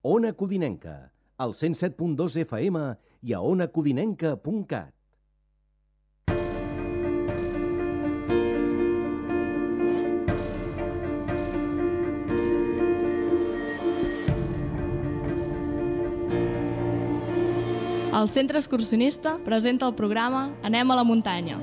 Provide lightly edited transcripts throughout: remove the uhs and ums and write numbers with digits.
Ona Codinenca, al 107.2 FM i a onacodinenca.cat. El Centre Excursionista presenta el programa Anem a la muntanya.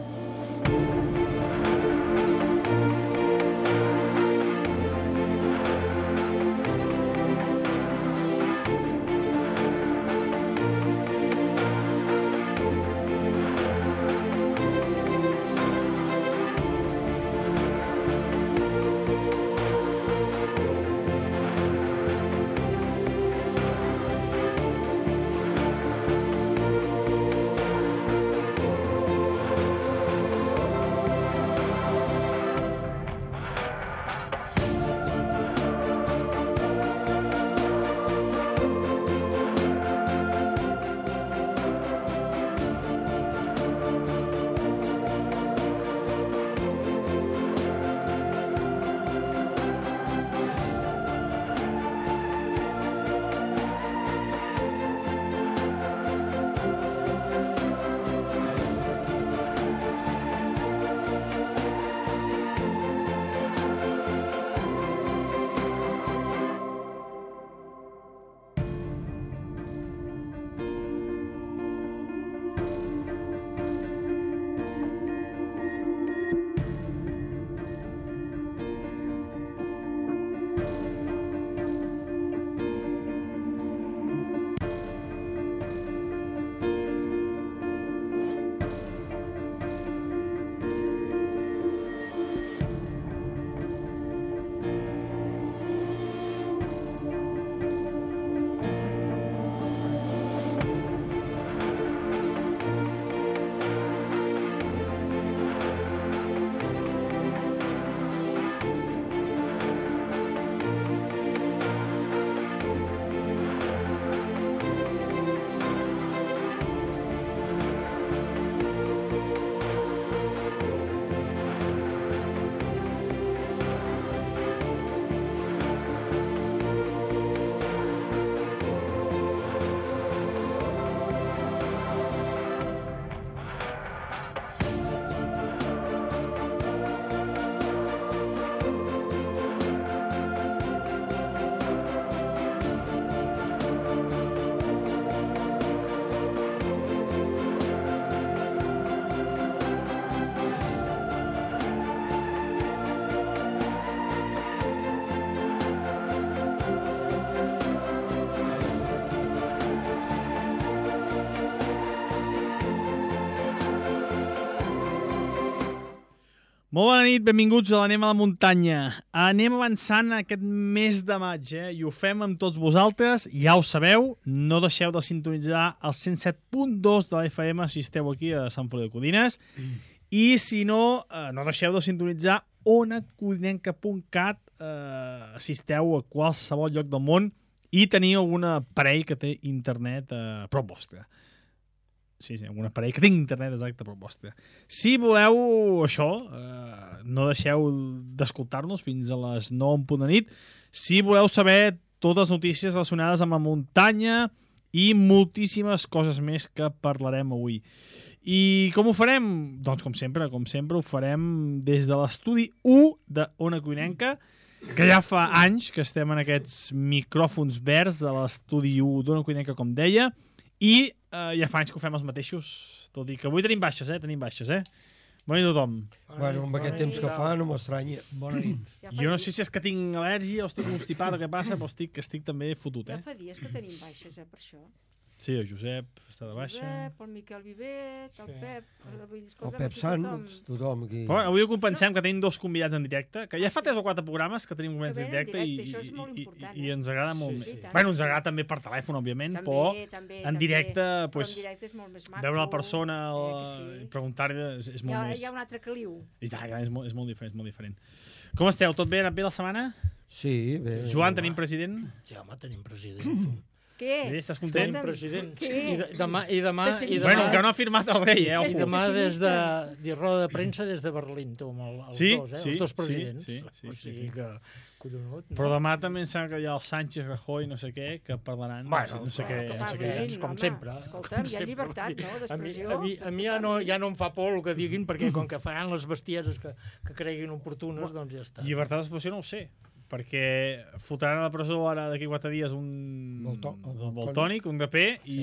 Molt bona nit, benvinguts a l'Anem a la muntanya. Anem avançant aquest mes de maig, i ho fem amb tots vosaltres. Ja ho sabeu, no deixeu de sintonitzar el 107.2 de la FM si esteu aquí a Sant Feliu de Codines. I si no, no deixeu de sintonitzar onacodinenca.cat si esteu a qualsevol lloc del món i teniu algun aparell que té internet a prop vostre. Sí, algun aparell que tingui internet exacte a prop vostre. Si voleu això, no deixeu d'escoltar-nos fins a les 9 en punt de nit. Si voleu saber totes les notícies relacionades amb la muntanya i moltíssimes coses més que parlarem avui. I com ho farem? Doncs com sempre ho farem des de l'estudi 1 d'Ona Codinenca, que ja fa anys que estem en aquests micròfons verds de l'estudi 1 d'Ona Codinenca, com deia, i ja fa anys que ho fem els mateixos, tot i que avui tenim baixes, Bona nit a tothom. Bueno, amb aquest temps que fa no m'estranya. Bona nit. Jo no sé si és que tinc al·lèrgia o estic constipat o què passa, però estic també fotut, Ja fa dies que tenim baixes, per això. Sí, el Josep està de baixa. Josep, el Miquel Vivet, el Pep... El Pep Sans, tothom aquí. Però avui ho compensem que tenim dos convidats en directe, que ja fa 3 o 4 programes que tenim convidats en directe i ens agrada molt més. Bueno, ens agrada també per telèfon, òbviament, però en directe veure la persona i preguntar-li és molt més... Hi ha un altre caliu. Ja, és molt diferent. Com esteu? Tot bé? Ha anat bé la setmana? Sí, bé. Joan, tenim president? Sí, home, tenim president. Què? Estàs content? Escolta'm, President. Què? I demà... Bueno, que no ha firmat el rei, I ojo. demà des de pessimista. dir roda de premsa des de Berlín, tu, amb els Sí, dos, sí, els dos sí, presidents. sí, O sigui sí. que, collonut. Però demà també em sembla que hi ha el Sánchez, Rajoy, no sé què, que parlaran, Bueno, no sé què. que no sé parlin, què, com home. sempre. Escolta'm, com hi ha sempre. llibertat, no, d'expressió. A mi ja no em fa por el que diguin, perquè com que faran les bestieses que creguin oportunes, doncs ja està. Llibertat d'expressió no ho sé, perquè fotran a la presó ara d'aquí 4 dies un Valtònic, un DP, Sí.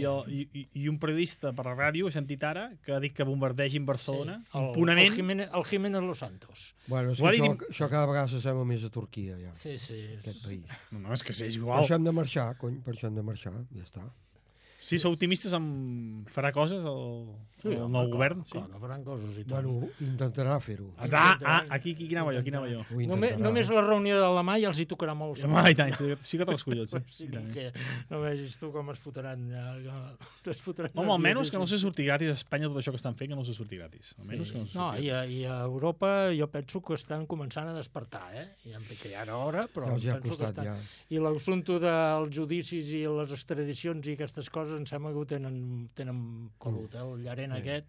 i un periodista per la ràdio, he sentit ara, que ha dit que bombardegin Barcelona, el impunament. El Jiménez Los Santos. Bueno, és Ho ha que dit- això cada vegada s'assembla més a Turquia, ja, Sí, sí. aquest país. No, és que és Per igual. això hem de marxar, cony, per això hem de marxar, ja està. Si sou optimistes, farà coses el nou govern? Sí? Clar, que faran coses i tant. Bueno, intentarà fer-ho. Aquí anava jo. Ho intentarà. Només la reunió de demà ja els hi tocarà molt. Home, i tant, sí que te les collons. O sigui que no vegis tu com es fotran. Home, almenys que no se surti gratis a Espanya tot això que estan fent, que no se surti gratis. Almenys que no se No, surti gratis. i a Europa jo penso que estan començant a despertar, que ja era hora, però Ja els hi ha penso que costat, estan... ja. I l'assumpte dels judicis i les extradicions i aquestes coses em sembla que ho tenen pelut, el Llarena aquest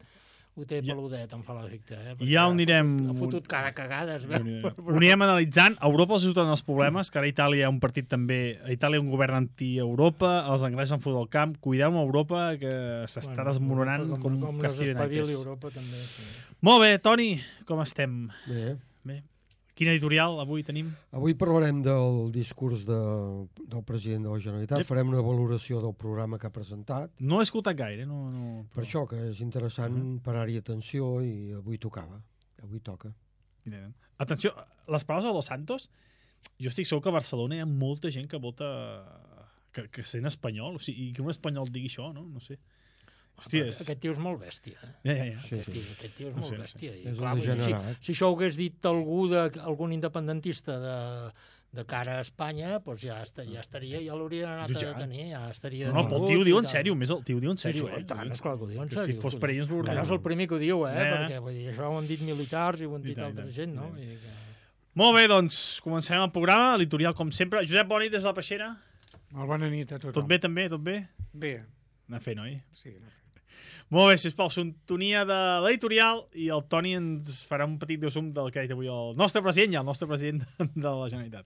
ho té peludet, em fa l'efecte. Ja ho anirem... Ha fotut cada cagada, es veu. Ho anirem analitzant. A Europa els ajuden els problemes, que ara a Itàlia hi ha un partit també... A Itàlia hi ha un govern anti-Europa, els anglesos han fotut el camp. Cuideu amb Europa, que s'està desmoronant com un no castillo de s'espavili naipes. Europa també. Sí. Molt bé, Toni, com estem? Bé. Quin editorial avui tenim? Avui parlarem del discurs del president de la Generalitat, farem una valoració del programa que ha presentat, No l'he escoltat gaire, no... per això que és interessant parar-hi atenció i avui tocava, avui toca. Atenció, les paraules de Dos Santos, jo estic segur que a Barcelona hi ha molta gent que vota que sent espanyol, o sigui, i que un espanyol digui això, no? No sé. Hòstia, Aquest tio és molt bèstia. Ja. Sí, sí. Aquest tio és molt bèstia. I, És clar, un vull dir, degenerat. si això ho hagués dit algun independentista de cara a Espanya, doncs ja estaria, ja l'haurien anat a detenir, ja estaria... No, però el tio ho diu en sèrio, més el tio ho diu en sèrio, Sí, tant, esclar que ho diu en Que sèrio. si fos per ells... Que no és el primer que ho diu, Ja. perquè vull dir, això ho han dit militars i ho han dit tant, altra gent, no? I que... Molt bé, doncs, comencem el programa, l'editorial com sempre. Josep, bona nit des de la Peixera. Molt bona nit a tothom. Tot bé, també? Tot bé? Bé, Anar fent, oi? sí. no sé. Molt bé, sisplau, sintonia de l'editorial i el Toni ens farà un petit resum del que ha dit avui el nostre president i el nostre president de la Generalitat.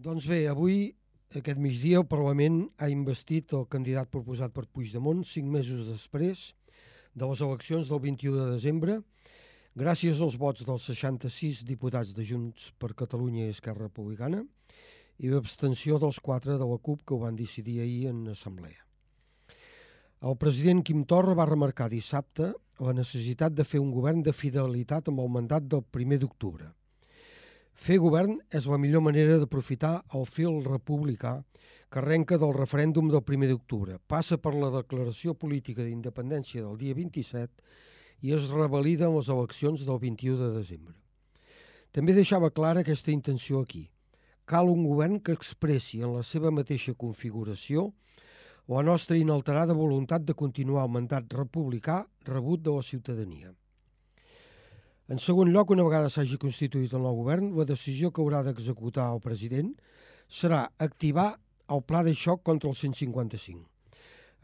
Doncs bé, avui, aquest migdia, el Parlament ha investit el candidat proposat per Puigdemont 5 mesos després de les eleccions del 21 de desembre, gràcies als vots dels 66 diputats de Junts per Catalunya i Esquerra Republicana i l'abstenció dels 4 de la CUP que ho van decidir ahir en assemblea. El president Quim Torra va remarcar dissabte la necessitat de fer un govern de fidelitat amb el mandat del 1 d'octubre. Fer govern és la millor manera d'aprofitar el fil republicà que arrenca del referèndum del 1 d'octubre, passa per la declaració política d'independència del dia 27 i es revalida en les eleccions del 21 de desembre. També deixava clara aquesta intenció aquí. Cal un govern que expressi en la seva mateixa configuració la nostra inalterada voluntat de continuar el mandat republicà rebut de la ciutadania. En segon lloc, una vegada s'hagi constituït el nou govern, la decisió que haurà d'executar el president serà activar el pla de xoc contra el 155.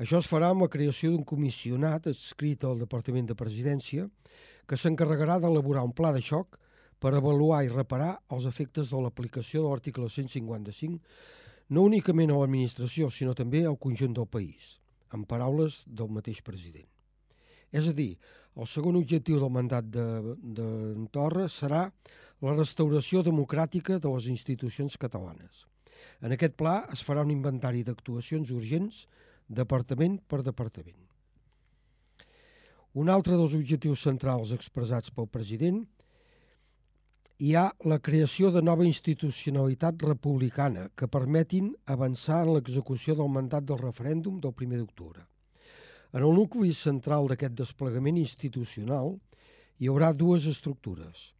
Això es farà amb la creació d'un comissionat adscrit al Departament de Presidència que s'encarregarà d'elaborar un pla de xoc per avaluar i reparar els efectes de l'aplicació de l'article 155 no únicament a l'administració, sinó també al conjunt del país, en paraules del mateix president. És a dir, el segon objectiu del mandat de Torra serà la restauració democràtica de les institucions catalanes. En aquest pla es farà un inventari d'actuacions urgents, departament per departament. Un altre dels objectius centrals expressats pel president hi ha la creació de nova institucionalitat republicana que permetin avançar en l'execució del mandat del referèndum del 1 d'octubre. En el nucli central d'aquest desplegament institucional hi haurà dues estructures.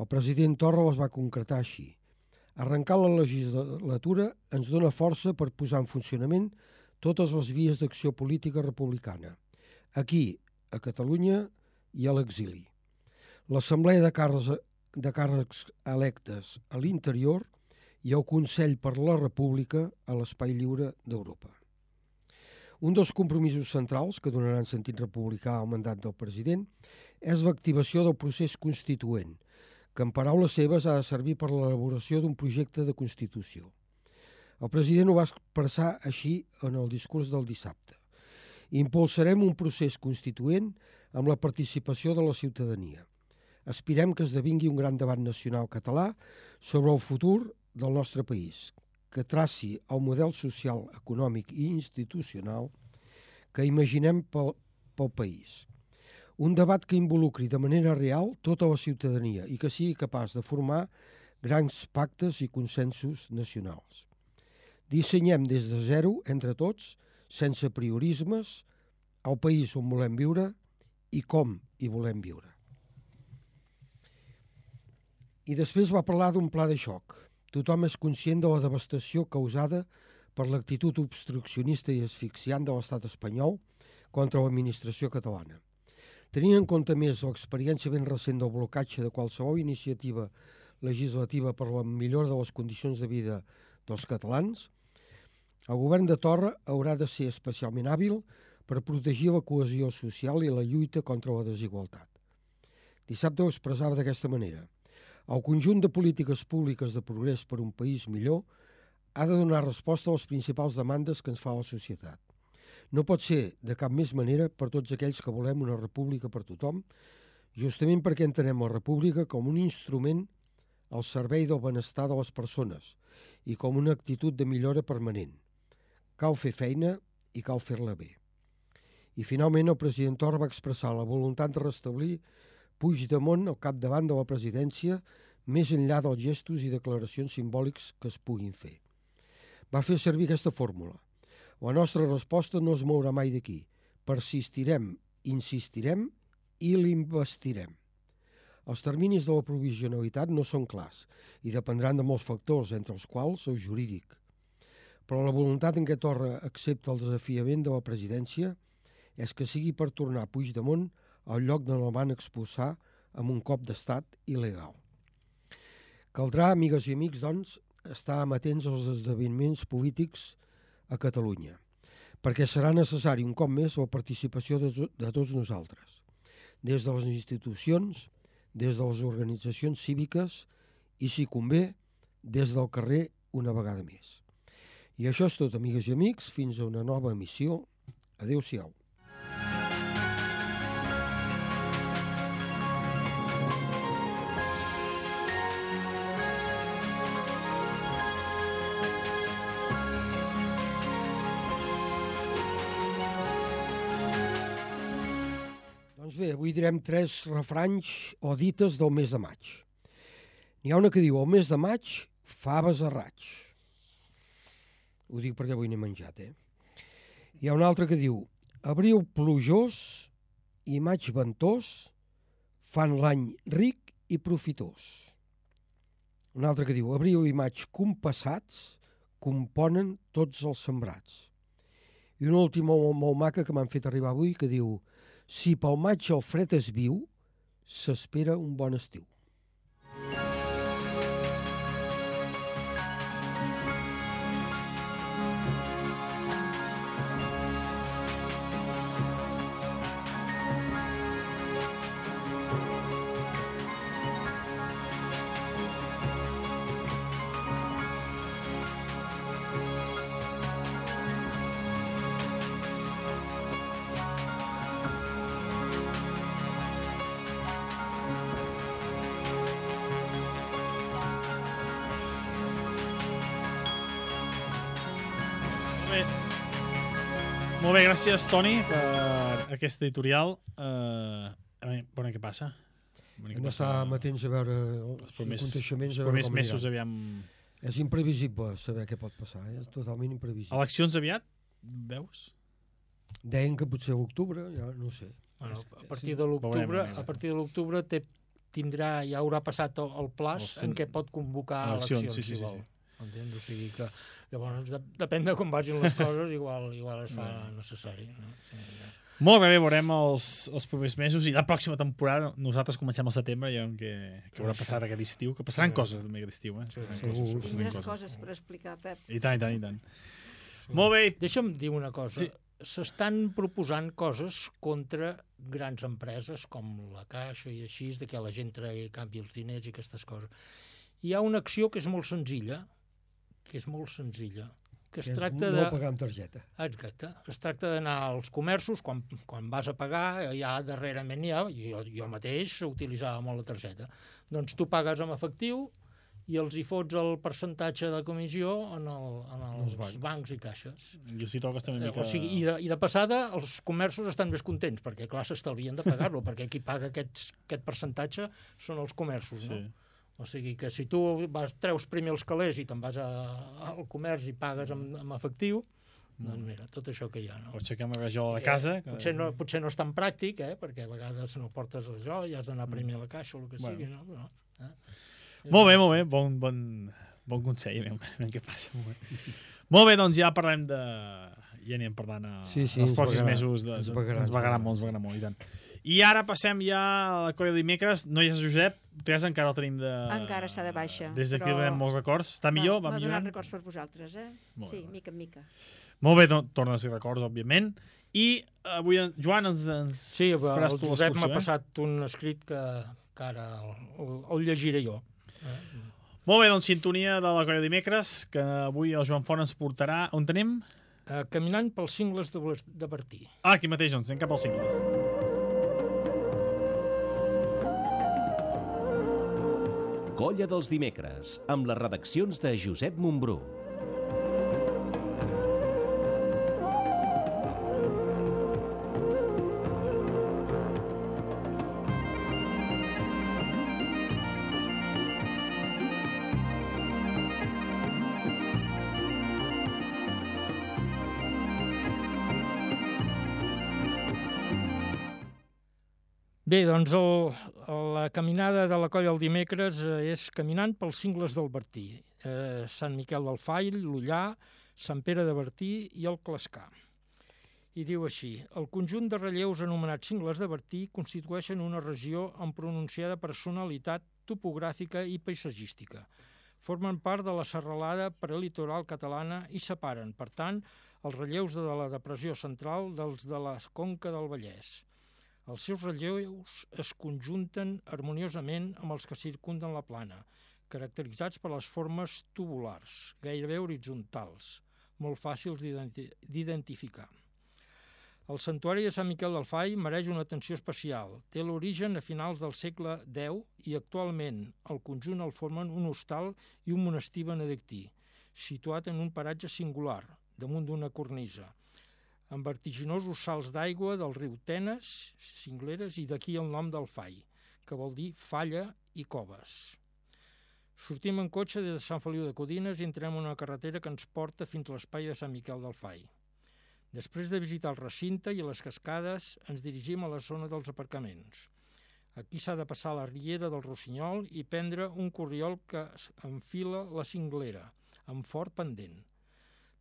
El president Torra les va concretar així. Arrencar la legislatura ens dona força per posar en funcionament totes les vies d'acció política republicana, aquí, a Catalunya i a l'exili. L'Assemblea de càrrecs electes a l'interior i el Consell per la República a l'Espai Lliure d'Europa. Un dels compromisos centrals que donaran sentit republicà al mandat del president és l'activació del procés constituent, que en paraules seves ha de servir per l'elaboració d'un projecte de Constitució. El president ho va expressar així en el discurs del dissabte. Impulsarem un procés constituent amb la participació de la ciutadania. Aspirem que esdevingui un gran debat nacional català sobre el futur del nostre país, que traci el model social, econòmic i institucional que imaginem pel país. Un debat que involucri de manera real tota la ciutadania i que sigui capaç de formar grans pactes i consensos nacionals. Dissenyem des de zero, entre tots, sense priorismes, el país on volem viure i com hi volem viure. I després va parlar d'un pla de xoc. Tothom és conscient de la devastació causada per l'actitud obstruccionista i asfixiant de l'estat espanyol contra l'administració catalana. Tenint en compte més l'experiència ben recent del blocatge de qualsevol iniciativa legislativa per la millora de les condicions de vida dels catalans, el govern de Torra haurà de ser especialment hàbil per protegir la cohesió social i la lluita contra la desigualtat. Dissabte ho expressava d'aquesta manera. El conjunt de polítiques públiques de progrés per un país millor ha de donar resposta a les principals demandes que ens fa la societat. No pot ser de cap més manera per tots aquells que volem una república per tothom, justament perquè entenem la república com un instrument al servei del benestar de les persones i com una actitud de millora permanent. Cal fer feina i cal fer-la bé. I finalment el president Torra va expressar la voluntat de restablir Puigdemont al capdavant de la presidència més enllà dels gestos i declaracions simbòlics que es puguin fer. Va fer servir aquesta fórmula. La nostra resposta no es mourà mai d'aquí. Persistirem, insistirem i l'investirem. Els terminis de la provisionalitat no són clars i dependran de molts factors, entre els quals el jurídic. Però la voluntat en què Torra accepta el desafiament de la presidència és que sigui per tornar Puigdemont al lloc d'on el van expulsar amb un cop d'estat il·legal. Caldrà, amigues i amics, doncs, estar amatents als esdeveniments polítics a Catalunya, perquè serà necessari un cop més la participació de tots nosaltres, des de les institucions, des de les organitzacions cíviques i, si convé, des del carrer una vegada més. I això és tot, amigues i amics, fins a una nova emissió. Adéu-siau. Bé, avui direm 3 refranys o dites del mes de maig. N'hi ha una que diu, el mes de maig, faves a raig. Ho dic perquè avui n'he menjat, Hi ha una altra que diu, abril plujós i maig ventós fan l'any ric i profitós. Una altra que diu, abril i maig compassats componen tots els sembrats. I una última molt maca que m'han fet arribar avui que diu, si pel maig el fred es viu, s'espera un bon estiu. Molt bé, gràcies, Toni, per aquest editorial. A veure, què passa? Hem d'estar amatents a veure els aconteixements. Els primers mesos, aviam... És imprevisible saber què pot passar, és totalment imprevisible. Eleccions aviat, veus? Deien que potser a l'octubre, ja no sé. Bueno, a partir de l'octubre ja haurà passat el plaç en què pot convocar eleccions, si vol. Entens? O sigui que llavors depèn de com vagin les coses, igual es fa necessari. No? Sí, ja. Molt bé, veurem els propers mesos i la pròxima temporada nosaltres comencem al setembre i que haurà passat aquest estiu, que passaran coses també aquest estiu. Tindràs coses per explicar, Pep. I tant. Molt bé. Deixa'm dir una cosa. S'estan proposant coses contra grans empreses com la Caixa i així, de que la gent tregui i canvi els diners i aquestes coses. Hi ha una acció que és molt senzilla, que es tracta de... No pagar amb targeta. Exacte. Es tracta d'anar als comerços, quan vas a pagar, ja darrerament jo mateix utilitzava molt la targeta. Doncs tu pagues amb efectiu i els hi fots el percentatge de comissió en els bancs i caixes. Jo sí toques també una mica... O sigui, i de passada els comerços estan més contents, perquè clar, s'estalvien de pagar-lo, perquè qui paga aquest percentatge són els comerços, no? O sigui que si tu treus primer els calés i te'n vas al comerç i pagues amb efectiu, doncs mira, tot això que hi ha. No? O aixequem la rajola a casa. Potser no és tan pràctic, perquè a vegades no portes això i has d'anar primer a la caixa o el que sigui. No? Però, Molt bé. Bon consell. Què passa? Molt bé, doncs ja parlem de... Ja anirem parlant els pròxims mesos. Ens vagarà molt, i tant. I ara passem ja a la colla de dimecres. No hi és Josep, Teresa encara el tenim de... Encara està de baixa. Des d'aquí donem molts records. Està millor? Va millorant? Va donar records per vosaltres, Sí, mica en mica. Molt bé, torna a ser records, òbviament. I avui, Joan, ens faràs tu l'excursió. Sí, el Josep m'ha passat un escrit que ara el llegiré jo. Molt bé, doncs sintonia de la colla de dimecres, que avui el Joan Font ens portarà. On tenim? Caminant pels cingles de Bertí. Aquí mateix, doncs, anem cap als cingles. Colla dels dimecres, amb les redaccions de Josep Montbrú. Bé, doncs la caminada de la colla el dimecres és caminant pels cingles del Bertí. Sant Miquel del Fai, l'Ullà, Sant Pere de Bertí i el Clascar. I diu així: el conjunt de relleus anomenats cingles de Bertí constitueixen una regió amb pronunciada personalitat topogràfica i paisatgística. Formen part de la serralada prelitoral catalana i separen, per tant, els relleus de la depressió central dels de la Conca del Vallès. Els seus relleus es conjunten harmoniosament amb els que circunden la plana, caracteritzats per les formes tubulars, gairebé horitzontals, molt fàcils d'identificar. El santuari de Sant Miquel del Fai mereix una atenció especial. Té l'origen a finals del segle X i actualment el conjunt el formen un hostal i un monestir benedictí, situat en un paratge singular, damunt d'una cornisa, amb vertiginosos salts d'aigua del riu Tenes, cingleres, i d'aquí el nom del Fai, que vol dir falla i coves. Sortim en cotxe des de Sant Feliu de Codines i entrem en una carretera que ens porta fins a l'espai de Sant Miquel del Fai. Després de visitar el recinte i les cascades, ens dirigim a la zona dels aparcaments. Aquí s'ha de passar la riera del Rossinyol i prendre un corriol que enfila la cinglera, amb fort pendent.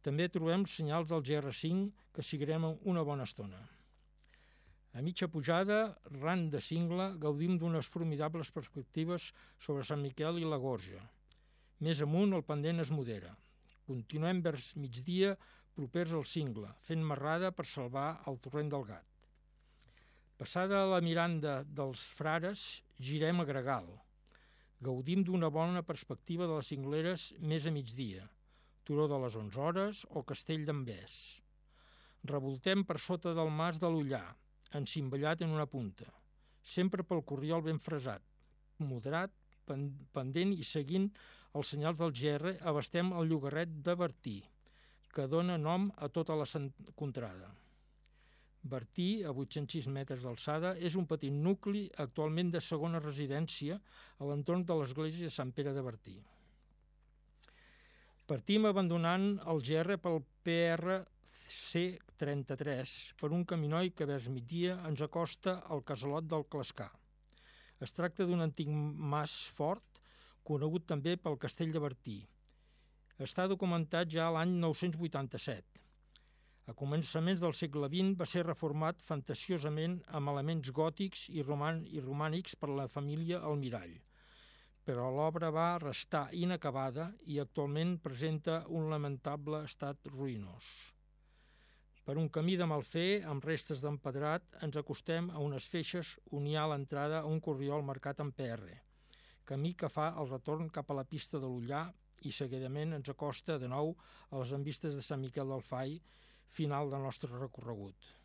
També trobem senyals del GR5 que seguirem una bona estona. A mitja pujada, ran de cingle, gaudim d'unes formidables perspectives sobre Sant Miquel i la Gorja. Més amunt, el pendent es modera. Continuem vers migdia propers al cingle, fent marrada per salvar el torrent del Gat. Passada la Miranda dels Frares, girem a Gregal. Gaudim d'una bona perspectiva de les cingleres més a migdia, Turó de les 11 hores o Castell d'en Bès. Revoltem per sota del mas de l'Ullà, encimballat en una punta, sempre pel corriol ben fresat, moderat, pendent i seguint els senyals del GR abastem el llogarret de Bertí, que dona nom a tota la contrada. Bertí, a 806 metres d'alçada, és un petit nucli actualment de segona residència a l'entorn de l'església de Sant Pere de Bertí. Partim abandonant el GR pel PRC33 per un caminoi que vers migdia ens acosta al casalot del Clascar. Es tracta d'un antic mas fort, conegut també pel castell de Bertí. Està documentat ja l'any 987. A començaments del segle XX va ser reformat fantasiosament amb elements gòtics i romànics per la família Almirall, però l'obra va restar inacabada i actualment presenta un lamentable estat ruïnós. Per un camí de malfer, amb restes d'empedrat, ens acostem a unes feixes on hi ha l'entrada a un corriol marcat en PR, camí que fa el retorn cap a la pista de l'Ullà i seguidament ens acosta de nou a les envistes de Sant Miquel del Fai, final del nostre recorregut.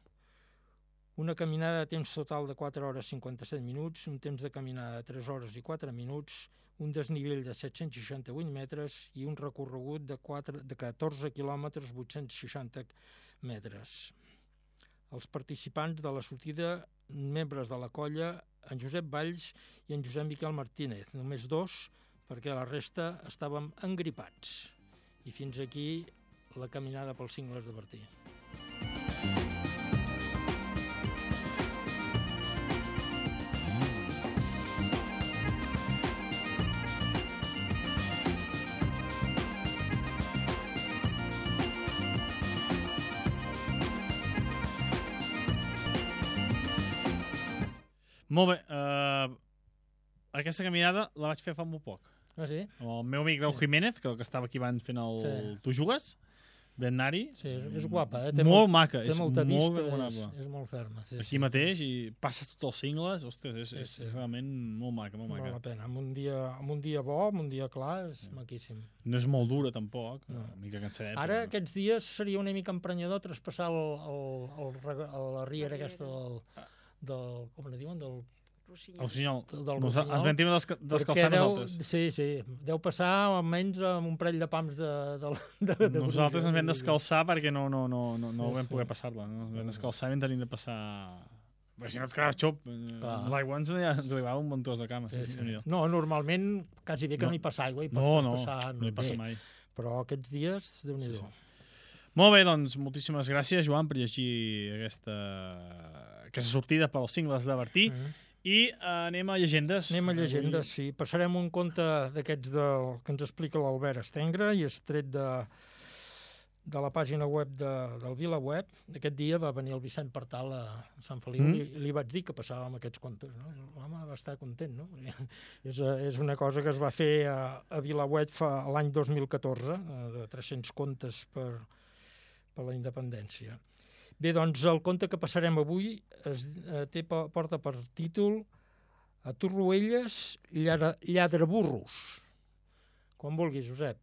Una caminada de temps total de 4 hores 57 minuts, un temps de caminada de 3 hores i 4 minuts, un desnivell de 768 metres i un recorregut de 14 quilòmetres 860 metres. Els participants de la sortida, membres de la colla, en Josep Valls i en Josep Miquel Martínez, només 2, perquè la resta estàvem engripats. I fins aquí la caminada pels cingles de Bertí. Molt bé, aquesta caminada la vaig fer fa molt poc. Ah, sí? El meu amic Deu Jiménez, que estava aquí abans fent el Tu jugues, vam anar-hi. Sí, és guapa, molt maca, té molta vista, memorable. És molt ferma. Sí, aquí mateix, i passes tots els cingles, ostres, és realment molt maca, molt maca. Val la pena, amb un dia bo, amb un dia clar, és maquíssim. No és molt dura, tampoc, una mica cansadet. Ara, aquests dies, seria una mica emprenyador traspassar la riera aquesta del com ne diuen, del Rossinyol. Rossinyol. Es ventim descalçar nosaltres. Sí, deu passar almenys amb un parell de pams de nosaltres ens vam descalçar perquè no vam poder passar-la. Ens vam descalçar i vam tenir de passar... Perquè si no et quedaves xop, l'aigua ens arribava un muntós de cames. No, normalment quasi bé que no hi passa aigua, hi pots passar. No hi passa mai. Però aquests dies, Déu-n'hi-do. Molt bé, doncs, moltíssimes gràcies, Joan, per llegir aquesta sortida pels cingles de Bertí. I anem a llegendes. Anem a llegendes, sí. Passarem un conte d'aquests que ens explica l'Albert Estengre i és tret de la pàgina web del VilaWeb. Aquest dia va venir el Vicent Partal a Sant Feliu i li vaig dir que passàvem aquests contes. L'home va estar content, no? És una cosa que es va fer a VilaWeb l'any 2014, de 300 contes per la independència. Bé, doncs el conte que passarem avui porta per títol A Torroelles, lladraburros. Quan vulguis, Josep.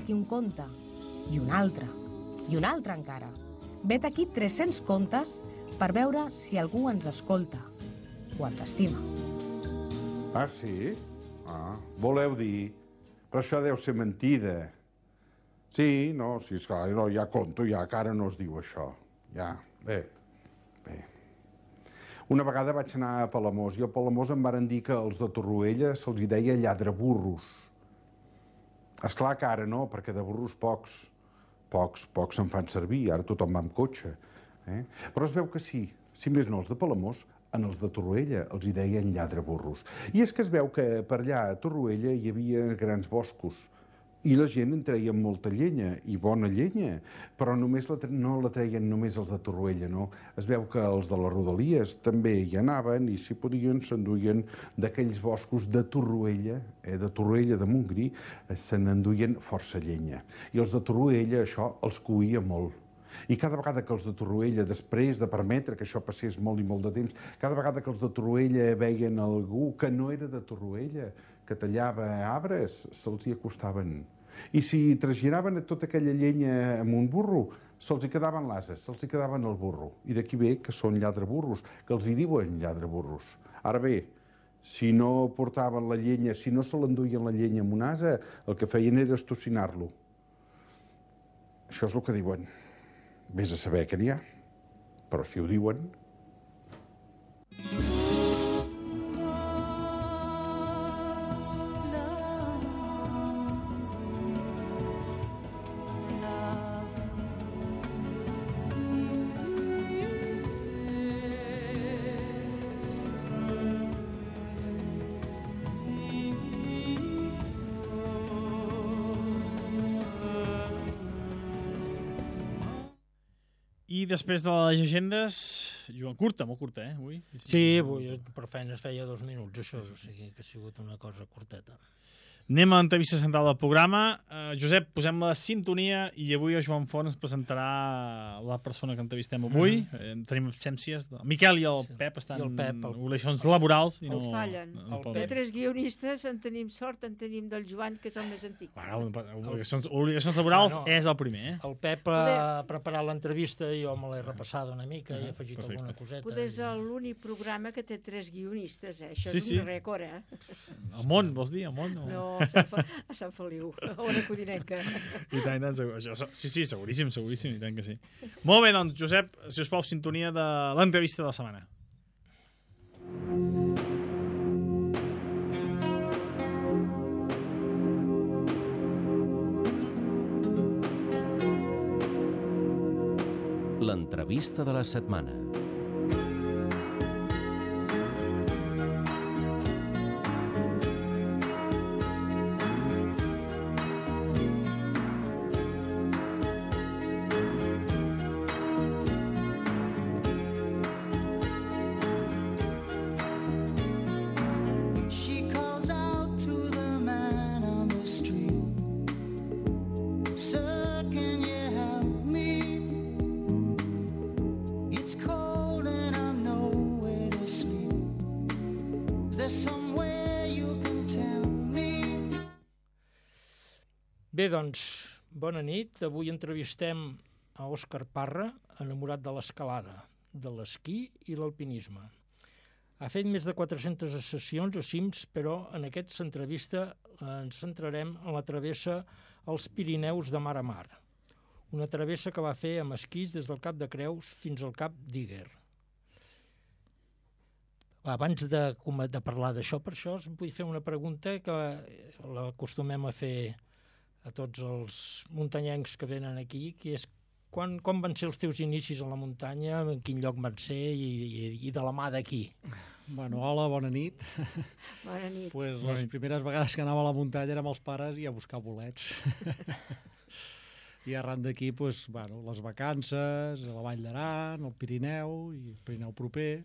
Aquí un conte, i un altre encara. Vet aquí 300 contes per veure si algú ens escolta o ens estima. Ah, sí? Ah, voleu dir? Però això deu ser mentida. Sí, no, sí, esclar, no, ja conto, ja, que ara no es diu això. Ja, bé. Una vegada vaig anar a Palamós i a Palamós em varen dir que els de Torroella se'ls hi deia lladraburros. Esclar que ara no, perquè de burros pocs se'n fan servir, ara tothom va amb cotxe. Però es veu que sí, si més no els de Palamós, en els de Torroella els hi deien lladraburros. I és que es veu que per allà a Torroella hi havia grans boscos i la gent en treia molta llenya, i bona llenya, però no la treien només els de Torroella, no. Es veu que els de les Rodalies també hi anaven i, si podien, s'enduien d'aquells boscos de Torroella de Montgrí, se n'enduien força llenya. I els de Torroella això els coïa molt. I cada vegada que els de Torroella, després de permetre que això passés molt i molt de temps, cada vegada que els de Torroella veien algú que no era de Torroella, que tallava arbres, se'ls hi acostaven. I si trasgiraven tota aquella llenya amb un burro, se'ls hi quedaven l'ases, se'ls hi quedaven el burro. I d'aquí ve que són lladraburros, que els hi diuen lladraburros. Ara bé, si no portaven la llenya, si no se l'enduien la llenya amb un ase, el que feien era estocinar-lo. Això és el que diuen. Vés a saber què n'hi ha, però si ho diuen... I després de les llegendes, Joan, curta, molt curta, avui? Sí, avui per feina es feia 2 minuts, això, o sigui que ha sigut una cosa curteta. Anem a l'entrevista central del programa. Josep, posem la sintonia i avui el Joan Font ens presentarà la persona que entrevistem avui. Tenim absències. El Miquel i el Pep estan en obligacions laborals. I els fallen. De 3 guionistes en tenim sort, en tenim del Joan, que és el més antic. Obligacions laborals és el primer. El Pep ha preparat l'entrevista i jo me l'he repassada una mica i he afegit alguna coseta. Poder és l'únic programa que té 3 guionistes, Això és un rècord, El món, vols dir? El món? No, a Sant Feliu, a una codinenca. I tant, sí, seguríssim, i tant que sí. Molt bé, doncs, Josep, si us plau, sintonia de l'entrevista de la setmana. L'entrevista de la setmana. Bé, doncs, bona nit. Avui entrevistem a Òscar Parra, enamorat de l'escalada, de l'esquí i l'alpinisme. Ha fet més de 400 sessions a cims, però en aquesta entrevista ens centrarem en la travessa als Pirineus de mar a mar. Una travessa que va fer amb esquís des del Cap de Creus fins al Cap d'Íguer. Abans de parlar d'això, per això vull fer una pregunta que l'acostumem a fer a tots els muntanyencs que venen aquí, que és com van ser els teus inicis a la muntanya, en quin lloc van ser i de la mà d'aquí? Bueno, hola, bona nit. Bona nit. Pues les primeres vegades que anava a la muntanya érem els pares i a buscar bolets. I arran d'aquí, pues, bueno, les vacances, a la Vall d'Aran, al Pirineu, i el Pirineu proper,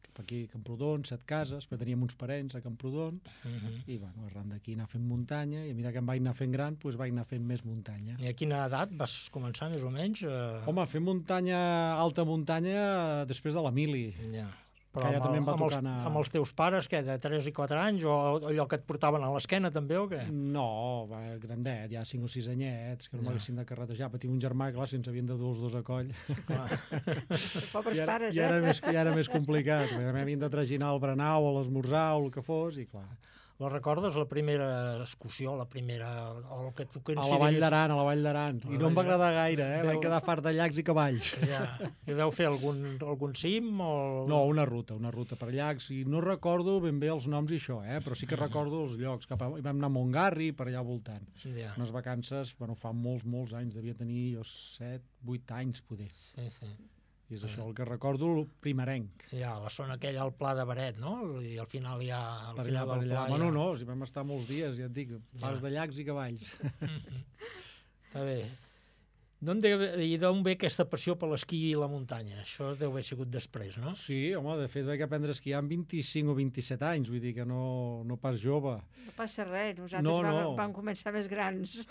cap aquí a Camprodon, 7 cases, però teníem uns parents a Camprodon, i bueno, arran d'aquí anar fent muntanya, i a mesura que em vaig anar fent gran, doncs vaig anar fent més muntanya. I a quina edat vas començar, més o menys? Home, fer muntanya, alta muntanya, després de la mili. Ja. Però amb els teus pares, què, de 3 i 4 anys, o allò que et portaven a l'esquena també, o què? No, grandet, ja 5 o 6 anyets, que no m'haguessin de carretejar. Patia un germà, clar, si ens havien de dur els dos a coll. Pobres pares, ja era més complicat, perquè m'havien de traginar al berenar o a l'esmorzar o el que fos, i clar. La recordes, la primera excursió, la primera... O el que tu consideris... A la Vall d'Aran. I no em va agradar gaire, vaig quedar fart de llacs i cavalls. Ja. I vau fer algun cim? O... No, una ruta per llacs. I no recordo ben bé els noms i això, però sí que recordo els llocs. Vam anar a Montgarri, per allà voltant. Ja. Unes vacances, bueno, fa molts anys, devia tenir jo 7, 8 anys, poder. Sí. I és això el que recordo, el primerenc. Ja, la zona aquella al Pla de Beret, no? I al final ja... Per allà. Bueno, no, si vam estar molts dies, ja et dic, fars de llacs i cavalls. Està bé. D'on ve aquesta passió per l'esquí i la muntanya? Això deu haver sigut després, no? Sí, home, de fet vaig aprendre a esquiar amb 25 o 27 anys, vull dir que no pas jove. No passa res, nosaltres vam començar més grans.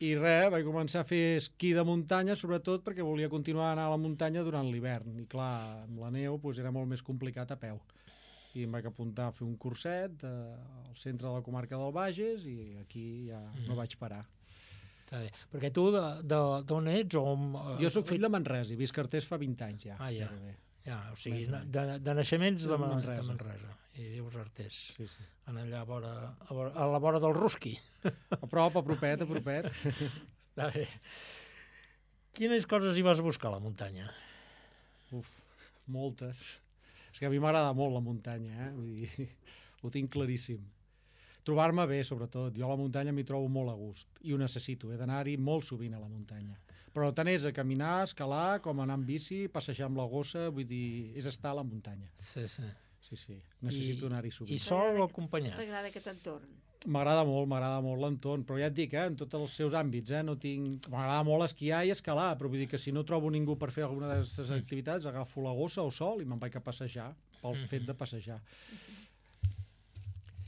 I res, vaig començar a fer esquí de muntanya, sobretot perquè volia continuar a anar a la muntanya durant l'hivern. I clar, amb la neu era molt més complicat a peu. I em vaig apuntar a fer un curset al centre de la comarca del Bages i aquí ja no vaig parar. Està bé. Perquè tu d'on ets? Jo soc fill de Manresa i visc a Artés fa 20 anys ja. Ja, o sigui, de naixements de Manresa. I vius a Artés. Sí. En allà a la vora del Rusqui. A prop, a propet. Està bé. Quines coses hi vas buscar a la muntanya? Moltes. És que a mi m'agrada molt la muntanya, vull dir, ho tinc claríssim. Trobar-me bé, sobretot. Jo a la muntanya m'hi trobo molt a gust. I ho necessito, he d'anar-hi molt sovint a la muntanya. Però tant és a caminar, escalar, com anar amb bici, passejar amb la gossa, vull dir, és estar a la muntanya. Sí. Necessito anar-hi sovint. I sol o acompanyat? T'agrada aquest entorn? M'agrada molt l'entorn, però ja et dic, en tots els seus àmbits, no tinc... M'agrada molt esquiar i escalar, però vull dir que si no trobo ningú per fer alguna d'aquestes activitats, agafo la gossa o sol i me'n vaig a passejar, pel fet de passejar.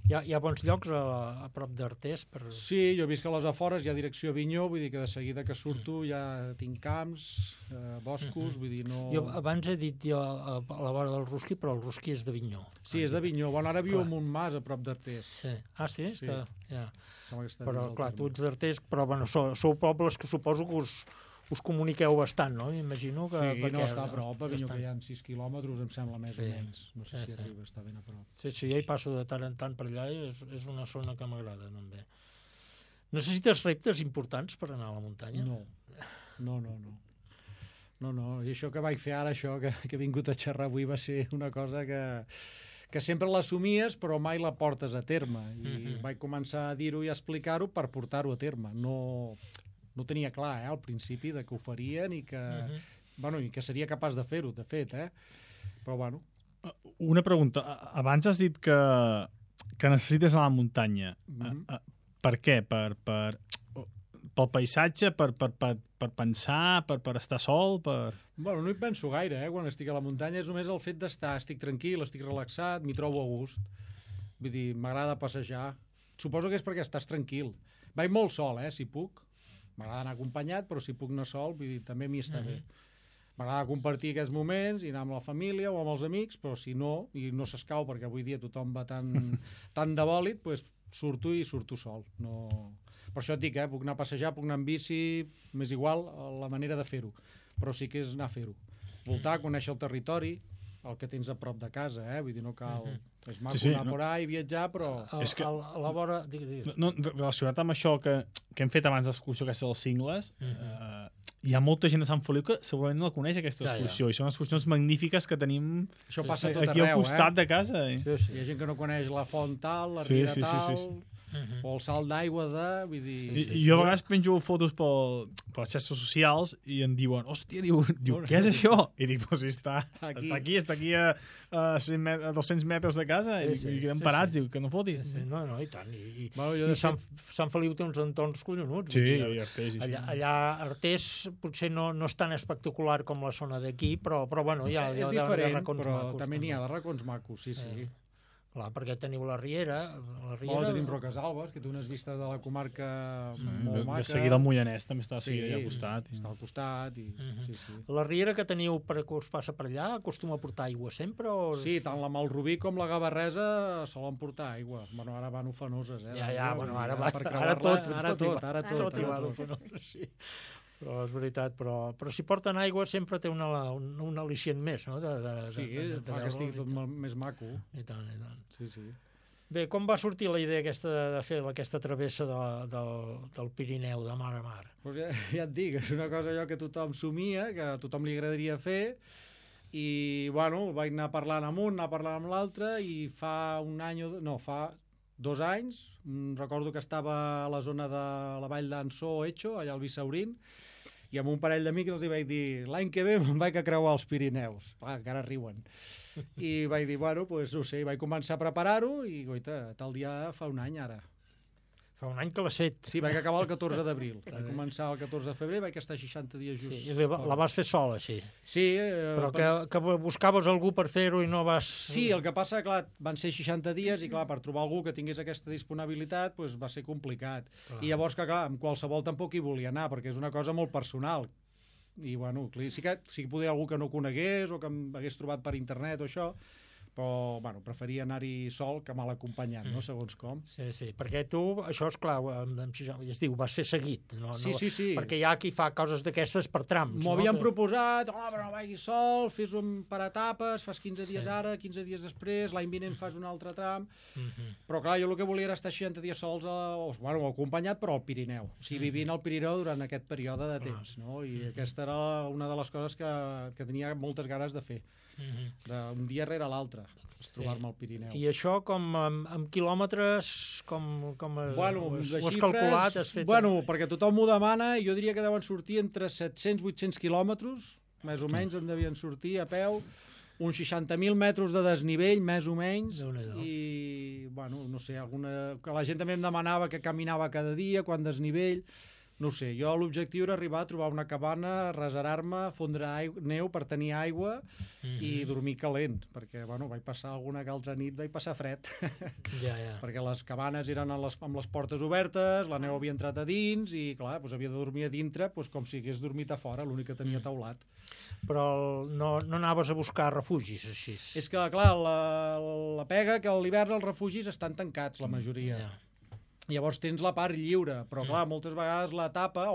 Hi ha bons llocs a prop d'Artés? Sí, jo visc a les afores, hi ha direcció a Avinyó, vull dir que de seguida que surto ja tinc camps, boscos, vull dir, no... Jo abans he dit a la vora del Rusqui, però el Rusqui és d'Avinyó. Sí, és d'Avinyó. Bueno, ara viu en un mas a prop d'Artés. Sí. Ah, sí? Sí. Ja. Però, clar, tu ets d'Artés, però bueno, sou pobles que suposo que us comuniqueu bastant, no? M'imagino que... Sí, no, està a prop, a Avinyó, que hi ha 6 quilòmetres, em sembla més o menys. No sé si arriba, està ben a prop. Sí, jo hi passo de tant en tant per allà i és una zona que m'agrada, també. Necessites reptes importants per anar a la muntanya? No. I això que vaig fer ara, això que he vingut a xerrar avui, va ser una cosa que sempre l'assumies, però mai la portes a terme. I vaig començar a dir-ho i a explicar-ho per portar-ho a terme. No tenia clar, al principi, que ho farien i que, i que seria capaç de fer-ho, de fet, Però, bueno... Una pregunta. Abans has dit que necessites anar a la muntanya. Per què? Pel paisatge? Per pensar? Per estar sol? Bueno, no hi penso gaire, quan estic a la muntanya. És només el fet d'estar. Estic tranquil, estic relaxat, m'hi trobo a gust. Vull dir, m'agrada passejar. Suposo que és perquè estàs tranquil. Vaig molt sol, si puc. M'agrada anar acompanyat, però si puc anar sol, vull dir, també m'hi està bé. M'agrada compartir aquests moments i anar amb la família o amb els amics, però si no, i no s'escau perquè avui dia tothom va tan de bòlit, doncs surto sol. No... Per això et dic, puc anar a passejar, puc anar amb bici, m'és igual la manera de fer-ho, però sí que és anar a fer-ho. Voltar, conèixer el territori, el que tens a prop de casa, vull dir, no cal... És maco anar por ahí i viatjar, però... A la vora... No, relacionat amb això que hem fet abans d'excursió, aquesta dels Cingles, hi ha molta gent de Sant Feliu que segurament no la coneix, aquesta excursió, i són excursions magnífiques que tenim aquí al costat de casa. Hi ha gent que no coneix la font tal, la riera tal... o el salt d'aigua de... Vull dir... Jo a vegades penjo fotos per les xarxes socials i em diuen, hòstia, diu, què és això? I dic, doncs està aquí a 200 metres de casa i quedem parats, diu, que no fotis. No, i tant. I Sant Feliu té uns entorns collonuts. Sí, Artés. Allà Artés potser no és tan espectacular com la zona d'aquí, però bueno, hi ha de racons macos. És diferent, però també n'hi ha de racons macos, sí. Clar, perquè teniu la Riera... tenim Roques Alves, que té unes vistes de la comarca molt maca. De seguida el Moianès també està allà al costat. Està al costat. La Riera que teniu que us passa per allà acostuma a portar aigua sempre? Sí, tant la Malrubí com la Gavarresa solen portar aigua. Bueno, ara van ufanoses, ara tot hi va d'ufanoses, sí. Però és veritat, però si porten aigua sempre té un al·licient més, no? Sí, fa que estigui tot més maco. I tant. Sí. Bé, com va sortir la idea aquesta de fer aquesta travessa del Pirineu, de mar a mar? Pues ja et dic, és una cosa allò que tothom somia, que a tothom li agradaria fer, i, bueno, vaig anar parlant amb un, anar parlant amb l'altre, i fa 2 anys, recordo que estava a la zona de la vall d'Ansó o Etxo, allà al Bissaurín, i amb un parell d'amics els vaig dir, l'any que ve me'n vaig a creuar els Pirineus. Encara riuen. I vaig dir, bueno, doncs no sé, vaig començar a preparar-ho i, goita, tal dia fa un any ara. Fa un any que l'has fet. Sí, vaig acabar el 14 d'abril. Vaig començar el 14 de febrer, vaig estar 60 dies just. Sí, i la vas fer sola, així. Sí. Però que buscaves algú per fer-ho i no vas... Sí, el que passa, clar, van ser 60 dies i, clar, per trobar algú que tingués aquesta disponibilitat, doncs va ser complicat. I llavors, que, clar, amb qualsevol tampoc hi volia anar, perquè és una cosa molt personal. I, bueno, sí que podia algú que no conegués o que m'hagués trobat per internet o això, però, bueno, preferia anar-hi sol que mal acompanyat, no? Segons com. Sí, sí, perquè tu, això és clar, es diu, vas fer seguit, no? Sí. Perquè hi ha qui fa coses d'aquestes per trams. M'ho havien proposat, però no vagis sol, fes-ho per etapes, fas 15 dies ara, 15 dies després, l'any vinent fas un altre tram, però clar, jo el que volia era estar 60 dies sols, acompanyat, però al Pirineu, o sigui, vivint al Pirineu durant aquest període de temps, no? I aquesta era una de les coses que tenia moltes ganes de fer. D'un dia rere l'altre, trobar-me al Pirineu. I això com amb quilòmetres, com bueno, ho has calculat? Bueno, perquè tothom m'ho demana, jo diria que deuen sortir entre 700-800 quilòmetres, més o menys en devien sortir a peu, uns 60.000 metres de desnivell, més o menys, i, bueno, no sé, que la gent també em demanava que caminava cada dia, quan desnivell. No sé, jo l'objectiu era arribar a trobar una cabana, reserar-me, fondre neu per tenir aigua i dormir calent, perquè, bueno, vaig passar alguna que altra nit, vaig passar fred. Perquè les cabanes eren amb les portes obertes, la neu havia entrat a dins i, clar, doncs havia de dormir a dintre com si hagués dormit a fora, l'únic que tenia teulat. Però no anaves a buscar refugis, així? És que, clar, la pega que a l'hivern els refugis estan tancats, la majoria. Llavors tens la part lliure, però clar, moltes vegades l'etapa...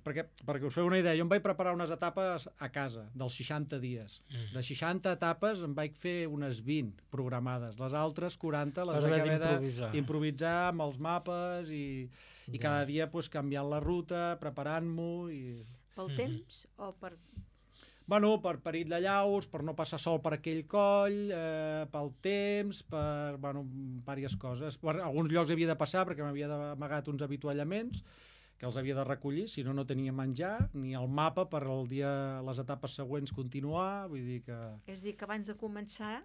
Perquè us feu una idea, jo em vaig preparar unes etapes a casa, dels 60 dies. De 60 etapes em vaig fer unes 20 programades. Les altres 40 les vaig haver d'improvisar amb els mapes i cada dia canviant la ruta, preparant-m'ho... Pel temps o per... Bueno, per perill de llaus, per no passar sol per aquell coll, pel temps, per, bueno, diverses coses. Per alguns llocs havia de passar perquè m'havia amagat uns avituallaments que els havia de recollir, si no, no tenia menjar, ni el mapa per el dia, les etapes següents continuar, vull dir que... És a dir, que abans de començar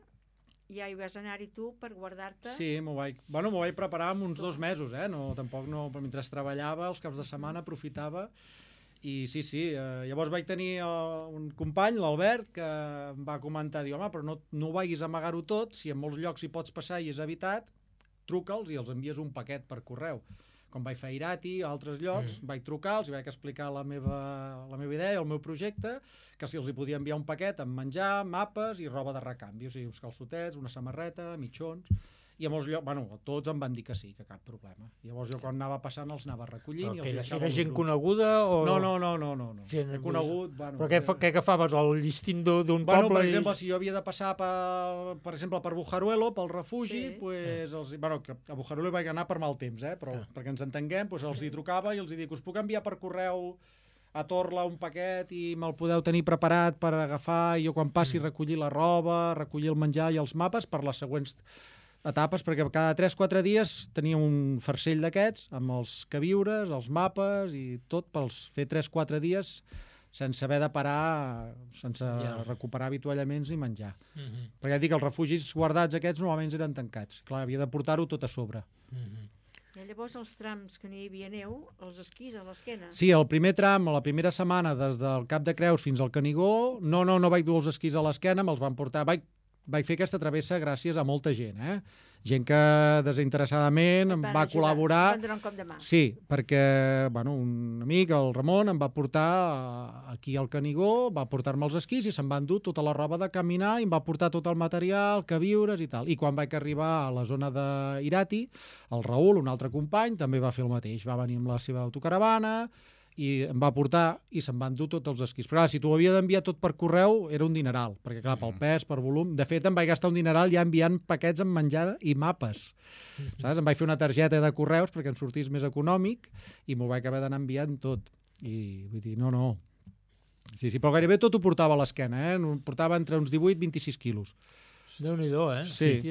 ja hi vas anar-hi tu per guardar-te? Sí, m'ho vaig preparar en uns 2 mesos, tampoc no, mentre treballava, els caps de setmana aprofitava. I sí, llavors vaig tenir un company, l'Albert, que em va comentar, diu, home, però no vagis a amagar-ho tot, si en molts llocs hi pots passar i és habitat, truca'ls i els envies un paquet per correu. Com vaig fer a Irati, a altres llocs, vaig trucar-los i vaig explicar la meva idea, el meu projecte, que si els hi podia enviar un paquet amb menjar, mapes i roba de recanvi, o sigui, uns calçotets, una samarreta, mitjons... I a molts llocs, bueno, tots em van dir que sí, que cap problema. Llavors jo quan anava passant els anava recollint i els deixava... Era gent coneguda o...? No. He conegut... Bueno, però què agafaves, el llistín d'un poble? Per exemple, si jo havia de passar per exemple, per Bujaruelo, pel refugi, que a Bujaruelo vaig anar per mal temps, però perquè ens entenguem, els hi trucava i els hi dic, us puc enviar per correu a Torla un paquet i me'l podeu tenir preparat per agafar i jo quan passi recollir la roba, recollir el menjar i els mapes per les següents etapes, perquè cada 3-4 dies tenia un farcell d'aquests, amb els queviures, els mapes i tot, per fer 3-4 dies sense haver de parar, sense recuperar avituallaments ni menjar. Perquè et dic, els refugis guardats aquests normalment eren tancats. Clar, havia de portar-ho tot a sobre. I llavors els trams que no hi havia neu, els esquís a l'esquena? Sí, el primer tram, la primera setmana, des del Cap de Creus fins al Canigó, no vaig dur els esquís a l'esquena, me'ls van portar... Vaig fer aquesta travessa gràcies a molta gent, gent que desinteressadament em va col·laborar. Van donar un cop de mà. Sí, perquè un amic, el Ramon, em va portar aquí al Canigó, va portar-me els esquís i se'n van dur tota la roba de caminar i em va portar tot el material, queviures i tal. I quan vaig arribar a la zona d'Irati, el Raül, un altre company, també va fer el mateix. Va venir amb la seva autocaravana i em va portar i se'n van dur tots els esquís. Però clar, si t'ho havia d'enviar tot per correu era un dineral, perquè clar, pel pes, per volum... De fet, em vaig gastar un dineral ja enviant paquets amb menjar i mapes. Saps? Em vaig fer una targeta de correus perquè em sortís més econòmic i m'ho vaig haver d'anar enviant tot. I vull dir, no. Sí, però gairebé tot ho portava a l'esquena, Portava entre uns 18 i 26 quilos. Déu-n'hi-do, Sí,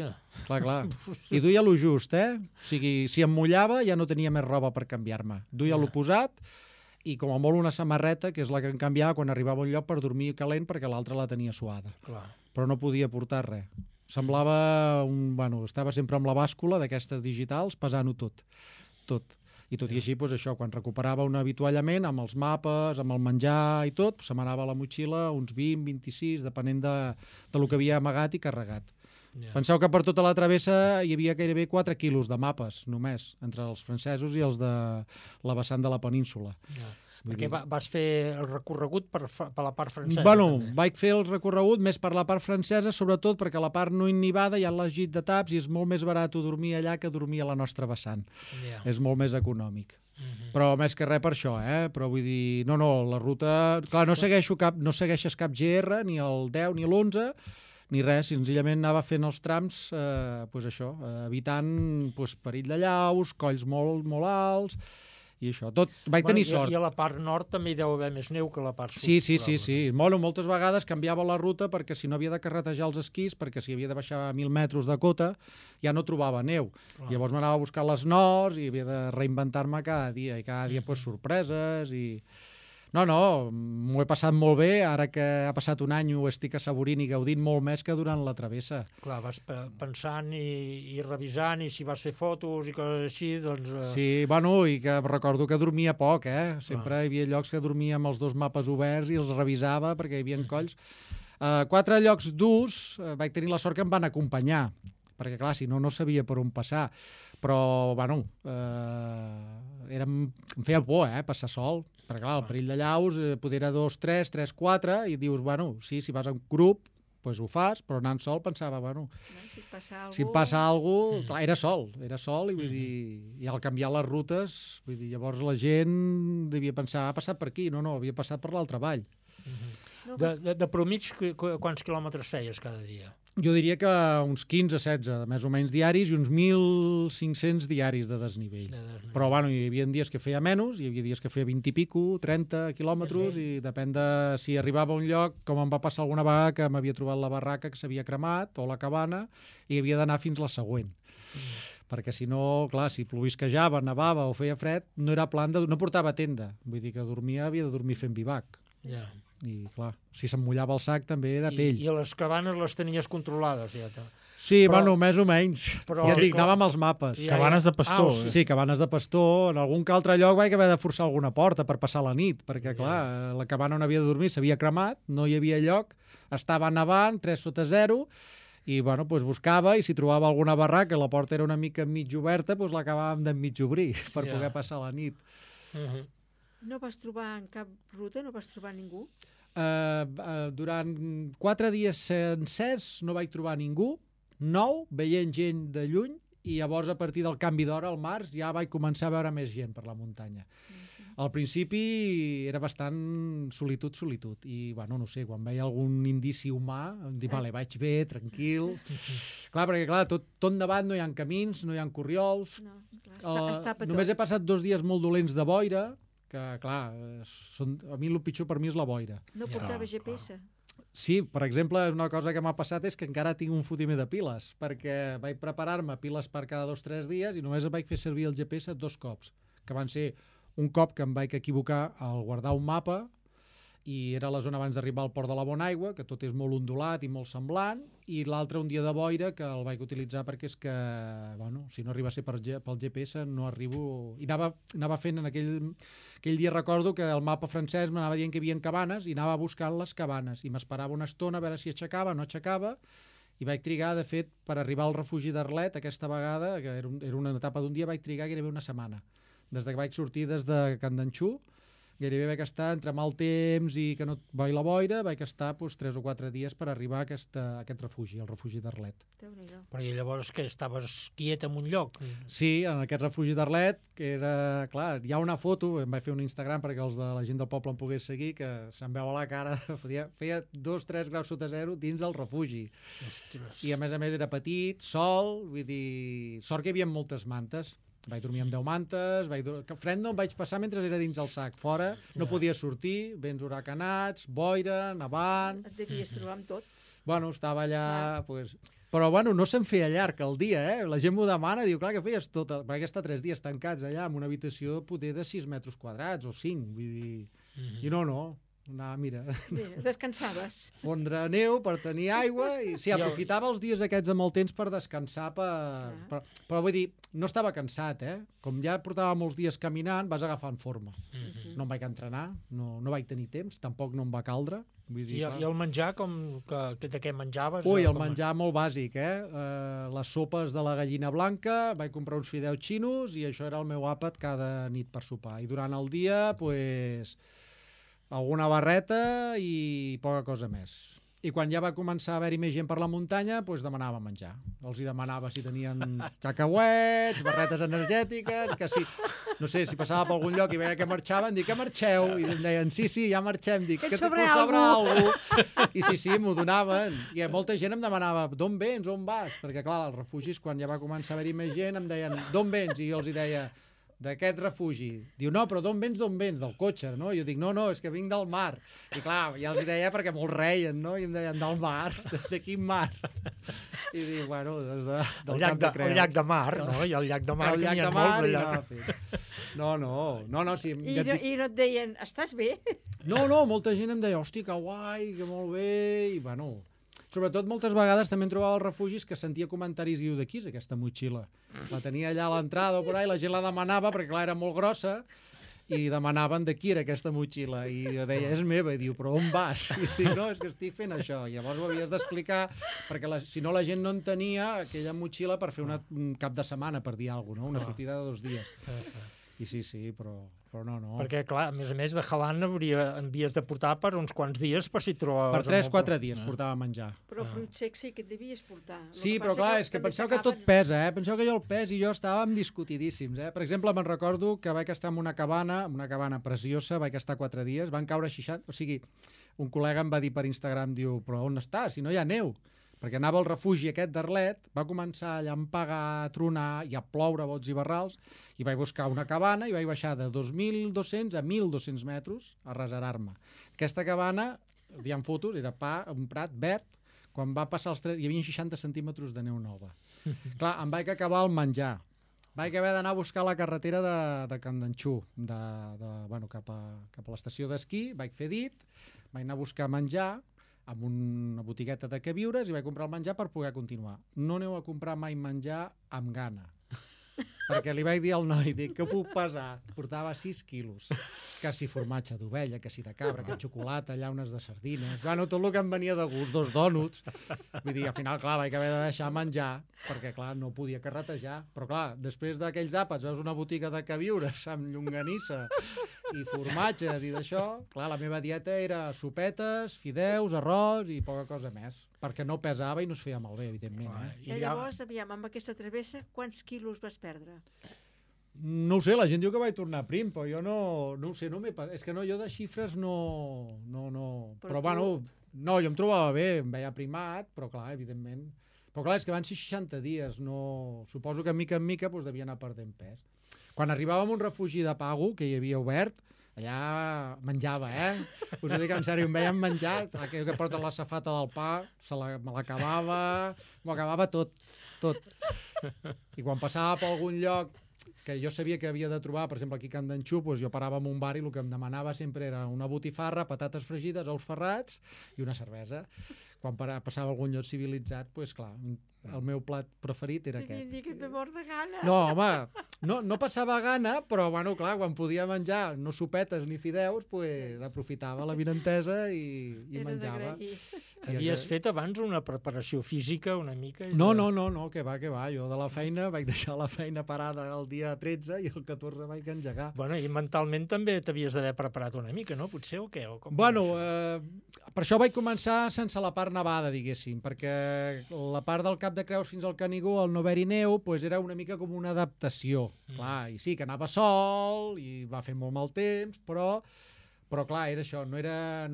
clar. I duia lo just, O sigui, si em mullava ja no tenia més roba per canviar-me. Duia lo posat i com a molt una samarreta, que és la que em canviava quan arribava a un lloc per dormir calent perquè l'altra la tenia suada. Però no podia portar res. Semblava estava sempre amb la bàscula d'aquestes digitals pesant-ho tot. tot. I tot i així, doncs això, quan recuperava un avituallament, amb els mapes, amb el menjar i tot, se m'anava a la motxilla uns 20, 26, depenent de lo que havia amagat i carregat. Penseu que per tota la travessa hi havia gairebé 4 quilos de mapes, només, entre els francesos i els de la vessant de la península. Perquè vas fer el recorregut per la part francesa. Bueno, vaig fer el recorregut més per la part francesa, sobretot perquè a la part no innivada hi ha l'agit de taps i és molt més barat dormir allà que dormir a la nostra vessant. És molt més econòmic. Però més que res per això, Però vull dir, no, la ruta... Clar, no segueixes cap GR, ni el 10 ni l'11, ni res, senzillament anava fent els trams, evitant perill de llaus, colls molt, molt alts, i això, tot, vaig tenir sort. I a la part nord també hi deu haver més neu que a la part sud. Sí. Bueno, moltes vegades canviava la ruta perquè si no havia de carretejar els esquís, perquè si havia de baixar a 1.000 metres de cota, ja no trobava neu. Llavors m'anava a buscar les nors i havia de reinventar-me cada dia, i cada dia sorpreses i... No, m'ho he passat molt bé, ara que ha passat un any ho estic assaborint i gaudint molt més que durant la travessa. Clar, vas pensant i revisant, i si vas fer fotos i coses així, doncs... Sí, bueno, i que recordo que dormia poc, Sempre hi havia llocs que dormia amb els 2 mapes oberts i els revisava perquè hi havia colls. 4 llocs durs vaig tenir la sort que em van acompanyar, perquè clar, si no sabia per on passar. Però, bueno, em feia por, passar sol, perquè clar, el perill de llaus poder era 2, 3, 3, 4, i dius, bueno, sí, si vas en grup, doncs ho fas, però anant sol pensava, bueno, si passa alguna cosa, clar, era sol, i vull dir, i al canviar les rutes, vull dir, llavors la gent devia pensar, ha passat per aquí, no, havia passat per l'altre vall. De promig, quants quilòmetres feies cada dia? Jo diria que uns 15-16, més o menys diaris, i uns 1.500 diaris de desnivell. Però, bueno, hi havia dies que feia menys, hi havia dies que feia 20 i pico, 30 quilòmetres, i depèn de si arribava a un lloc, com em va passar alguna vegada que m'havia trobat la barraca que s'havia cremat, o la cabana, i havia d'anar fins la següent. Perquè si no, clar, si plovisquejava, nevava o feia fred, no era plan no portava tenda. Vull dir que havia de dormir fent bivac. I, clar, si se'm mullava el sac també era pell. I les cabanes les tenies controlades, ja? Sí, bueno, més o menys. Ja et dic, anava amb els mapes. Cabanes de pastor. Sí, cabanes de pastor. En algun que altre lloc vaig haver de forçar alguna porta per passar la nit, perquè, clar, la cabana on havia de dormir s'havia cremat, no hi havia lloc, estava nevant, 3 sota 0, i, bueno, doncs buscava, i si trobava alguna barraca, la porta era una mica mig oberta, doncs l'acabàvem de mig obrir per poder passar la nit. No vas trobar en cap ruta, no vas trobar ningú? Durant 4 dies sencers no vaig trobar ningú, veient gent de lluny, i llavors a partir del canvi d'hora al març ja vaig començar a veure més gent per la muntanya. Al principi era bastant solitud, i, bueno, no sé, quan veia algun indici humà, em dic, vale, vaig bé, tranquil. Clar, perquè, clar, tot nevat, no hi ha camins, no hi ha corriols. Només he passat 2 dies molt dolents de boira, que, clar, a mi el pitjor per mi és la boira. No portava GPS? Sí, per exemple, una cosa que m'ha passat és que encara tinc un fotimer de piles, perquè vaig preparar-me piles per cada 2 o 3 dies i només vaig fer servir el GPS 2 cops, que van ser un cop que em vaig equivocar al guardar un mapa i era la zona abans d'arribar al Port de la Bonaigua, que tot és molt ondulat i molt semblant, i l'altre un dia de boira que el vaig utilitzar perquè és que, bueno, si no arriba a ser pel GPS no arribo... I anava fent en aquell dia, recordo que el mapa francès m'anava dient que hi havia cabanes i anava buscant les cabanes i m'esperava una estona a veure si aixecava, no aixecava, i vaig trigar, de fet, per arribar al refugi d'Arlet aquesta vegada, que era una etapa d'un dia, vaig trigar gairebé una setmana. Des que vaig sortir des de Candanxú, gairebé vaig estar entre mal temps i que no va la boira, vaig estar 3 o 4 dies per arribar a aquest refugi, el refugi d'Arlet. Però i llavors que estaves quiet en un lloc? Sí, en aquest refugi d'Arlet, que era, clar, hi ha una foto, em vaig fer un Instagram perquè la gent del poble em pogués seguir, que se'm veu a la cara, feia 2-3 graus sota 0 dins del refugi. Ostres. I a més era petit, sol, vull dir, sort que hi havia moltes mantes. Vaig dormir amb 10 mantes, fred no em vaig passar mentre era dins el sac. Fora no podia sortir, vents huracanats, boira, nevant... Et devies trobar amb tot. Bueno, estava allà... Però, bueno, no se'm feia llarg el dia, La gent m'ho demana, diu, clar, que feies tot... Perquè està 3 dies tancats allà, en una habitació poder de 6 metres quadrats o 5, vull dir... I no, Anar, mira, Descansaves. fondre neu per tenir aigua i sí, aprofitava els dies aquests amb el temps per descansar, però vull dir, no estava cansat, Com ja portava molts dies caminant, vas agafant forma. No em vaig entrenar, no vaig tenir temps, tampoc no em va caldre. Vull dir, I el menjar, de què menjaves? Ui, el menjar molt bàsic, les sopes de la gallina blanca, vaig comprar uns fideus xinos i això era el meu àpat cada nit per sopar. I durant el dia, pues, alguna barreta i poca cosa més. I quan ja va començar a haver-hi més gent per la muntanya, doncs demanava menjar. Els hi demanava si tenien cacauets, barretes energètiques, que si, no sé, si passava per algun lloc i veia que marxaven, dic, que marxeu? I em deien, sí, ja marxem. Dic, que sobra algú. I sí, m'ho donaven. I molta gent em demanava, d'on vens, on vas? Perquè, clar, als refugis, quan ja va començar a haver-hi més gent, em deien, d'on vens? I jo els hi deia, d'aquest refugi. Diu, no, però d'on vens? Del cotxe, no? I jo dic, no, és que vinc del mar. I clar, ja els hi deia perquè molts reien, no? I em deien, del mar? De quin mar? I dic, bueno, del Cap de Creus. El llac de mar, no? I el llac de mar, que n'hi ha molts allà. No, sí. I no et deien, estàs bé? No, molta gent em deia, hòstia, que guai, que molt bé, i bueno... Sobretot moltes vegades també em trobava als refugis que sentia comentaris i diu, de qui és aquesta motxilla? La tenia allà a l'entrada o por ahí, la gent la demanava perquè clar, era molt grossa i demanaven de qui era aquesta motxilla i jo deia, és meva, i diu, però on vas? I dic, no, és que estic fent això. I llavors ho havies d'explicar perquè si no la gent no entenia aquella motxilla per fer un cap de setmana, per dir alguna cosa, no? Una sortida de 2 dies. I sí, però no. Perquè, clar, a més de Jalan havies de portar per uns quants dies per si trobaves... Per 3-4 dies portava menjar. Però fruit sec sí que et devies portar. Sí, però clar, és que penseu que tot pesa, Penseu que jo el pes i jo estàvem discutidíssims, Per exemple, me'n recordo que vaig estar en una cabana preciosa, vaig estar 4 dies, van caure 60... O sigui, un col·lega em va dir per Instagram, diu, però on estàs, si no hi ha neu? Perquè anava al refugi aquest d'Arlet, va començar a llampagar, a tronar i a ploure bots i barrals, i vaig buscar una cabana i vaig baixar de 2.200 a 1.200 metres a reservar-me. Aquesta cabana, hi ha fotos, era un prat verd, quan va passar els 3... hi havia 60 centímetres de neu nova. Clar, em vaig acabar el menjar. Vaig haver d'anar a buscar la carretera de Candanxú, cap a l'estació d'esquí, vaig fer dit, vaig anar a buscar menjar, amb una botigueta de queviures i vaig comprar el menjar per poder continuar. No aneu a comprar mai menjar amb gana. Perquè li vaig dir al noi, dic, què puc pesar? Portava 6 quilos. Que si formatge d'ovella, que si de cabra, que xocolata, llaunes de sardines... Bueno, tot el que em venia de gust, 2 dònuts. Vull dir, al final, clar, vaig haver de deixar menjar, perquè, clar, no podia carretejar. Però, clar, després d'aquells àpats veus una botiga de queviures amb llonganissa i formatges i d'això, clar, la meva dieta era sopetes, fideus, arròs i poca cosa més. Perquè no pesava i no es feia malbé, evidentment. I llavors, aviam, amb aquesta travessa, quants quilos vas perdre? No ho sé, la gent diu que vaig tornar prim, però jo no ho sé, és que jo de xifres no... Però bueno, no, jo em trobava bé, em veia primat, però clar, evidentment... Però clar, és que van ser 60 dies, suposo que mica en mica devia anar perdent pes. Quan arribàvem a un refugi de Pago, que hi havia obert, allà menjava, Us ho dic en sèrio, em veiem menjar, aquell que porta la safata del pa, me l'acabava, m'ho acabava tot. I quan passava per algun lloc que jo sabia que havia de trobar, per exemple, aquí a Candanxú, jo parava en un bar i el que em demanava sempre era una botifarra, patates fregides, ous ferrats i una cervesa. Quan passava a algun lloc civilitzat, clar, el meu plat preferit era aquest. Devien dir que et ve mort de gana. No, home, no passava gana, però, bueno, clar, quan podia menjar no sopetes ni fideus, aprofitava la vinentesa i menjava. Havies fet abans una preparació física una mica? No, que va. Jo de la feina vaig deixar la feina parada el dia 13 i el 14 vaig engegar. Bueno, i mentalment també t'havies d'haver preparat una mica, no? Potser, o què? Bueno, per això vaig començar sense la part nevada, diguéssim, perquè la part del Cap de Creus fins al Canigó, al no haver-hi neu, era una mica com una adaptació. Clar, i sí, que anava sol i va fer molt mal temps, però clar, era això, no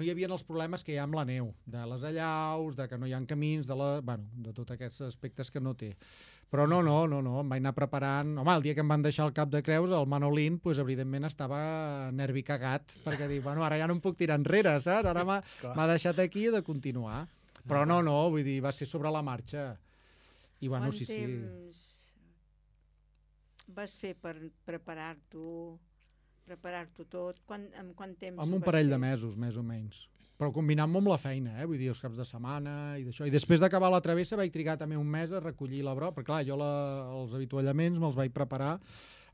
hi havia els problemes que hi ha amb la neu, de les allaus, de que no hi ha camins, de tots aquests aspectes que no té. Però no, em vaig anar preparant... Home, el dia que em van deixar el Cap de Creus, el Manolín, evidentment estava nervi cagat, perquè dic, bueno, ara ja no em puc tirar enrere, saps? Ara m'ha deixat aquí i he de continuar. Però no, vull dir, va ser sobre la marxa. I bueno, sí. Quant temps vas fer per preparar-t'ho preparar-t'ho tot. En quant temps Amb un parell de mesos, més o menys. Però combinant-m'ho amb la feina, vull dir, els caps de setmana i d'això. I després d'acabar la travessa vaig trigar també un mes a recollir la brossa, perquè clar, jo els avituallaments me'ls vaig preparar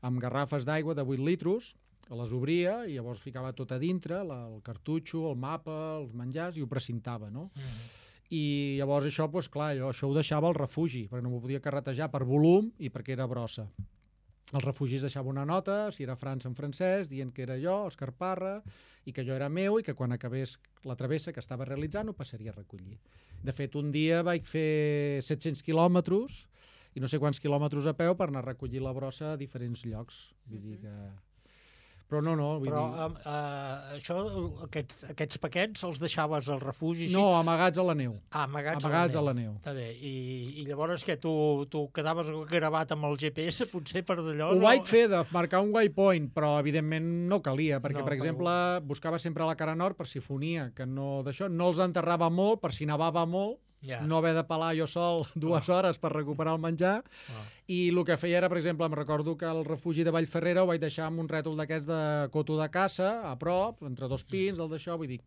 amb garrafes d'aigua de 8 litros, les obria i llavors ficava tot a dintre, el cartutxo, el mapa, els menjars, i ho precintava, no? I llavors això, doncs clar, jo això ho deixava al refugi, perquè no m'ho podia carretejar per volum i perquè era brossa. Els refugis deixava una nota, si era França en francès, dient que era jo, Òscar Parra, i que jo era meu i que quan acabés la travessa que estava realitzant ho passaria a recollir. De fet, un dia vaig fer 700 quilòmetres i no sé quants quilòmetres a peu per anar a recollir la brossa a diferents llocs. Vull dir que... Però no, vull dir... Això, aquests paquets els deixaves al refugi? No, amagats a la neu. Amagats a la neu. Està bé. I llavors que tu quedaves gravat amb el GPS, potser per d'allò... Ho vaig fer de marcar un waypoint, però evidentment no calia, perquè, per exemple, buscava sempre la cara nord per si fonia, que no d'això, no els enterrava molt, per si nevava molt, no haver de pelar jo sol 2 hores per recuperar el menjar, i el que feia era, per exemple, em recordo que el refugi de Vallferrera ho vaig deixar amb un rètol d'aquests de coto de caça, a prop, entre 2 pins, el d'això, vull dir...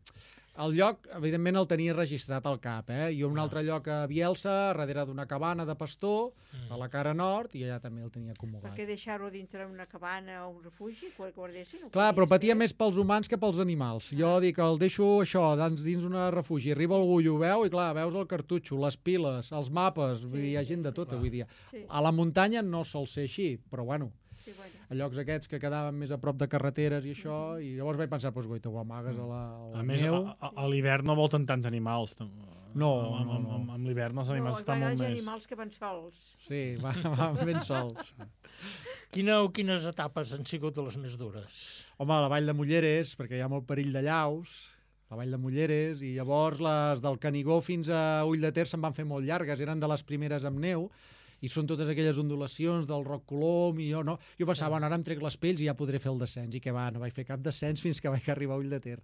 El lloc, evidentment, el tenia registrat al cap, i un altre lloc a Bielsa, darrere d'una cabana de pastor, a la cara nord, i allà també el tenia acomodat. Per què deixar-ho dintre una cabana o un refugi, que guardessin? Clar, però patia més pels humans que pels animals. Jo dic, el deixo això, dins un refugi, arriba algú i ho veu, i clar, veus el cartutxo, les piles, els mapes, vull dir, hi ha gent de tot avui dia. A la muntanya no sol ser així, però bueno, a llocs aquests que quedaven més a prop de carreteres i això, i llavors vaig pensar, doncs goita, ho amagues a la a més, neu. A l'hivern no volten tants animals. No. Amb l'hivern els animals estan molt més... No, hi ha animals que van sols. Sí, van ben sols. Quines etapes han sigut de les més dures? Home, la Vall de Mulleres, perquè hi ha molt perill de llaus, la Vall de Mulleres, i llavors les del Canigó fins a Ull de Ter se'n van fer molt llargues, eren de les primeres amb neu, i són totes aquelles ondulacions del Roc Colom, i jo pensava, bueno, ara em trec les pells i ja podré fer el descens, i que va, no vaig fer cap descens fins que vaig arribar a Ull de Ter.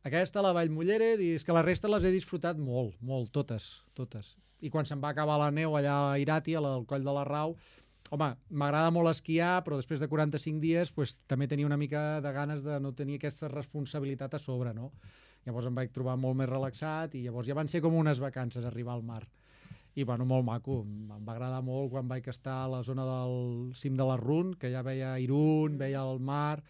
Aquesta, la Vall Mulleres, i és que la resta les he disfrutat molt, totes. I quan se'n va acabar la neu allà a Irati, al Coll de la Rau, home, m'agrada molt esquiar, però després de 45 dies pues, també tenia una mica de ganes de no tenir aquesta responsabilitat a sobre, no? Llavors em vaig trobar molt més relaxat i llavors ja van ser com unes vacances arribar al mar. I bueno, molt maco, em va agradar molt quan vaig estar a la zona del cim de l'Arrun, que ja veia Irún, veia el mar.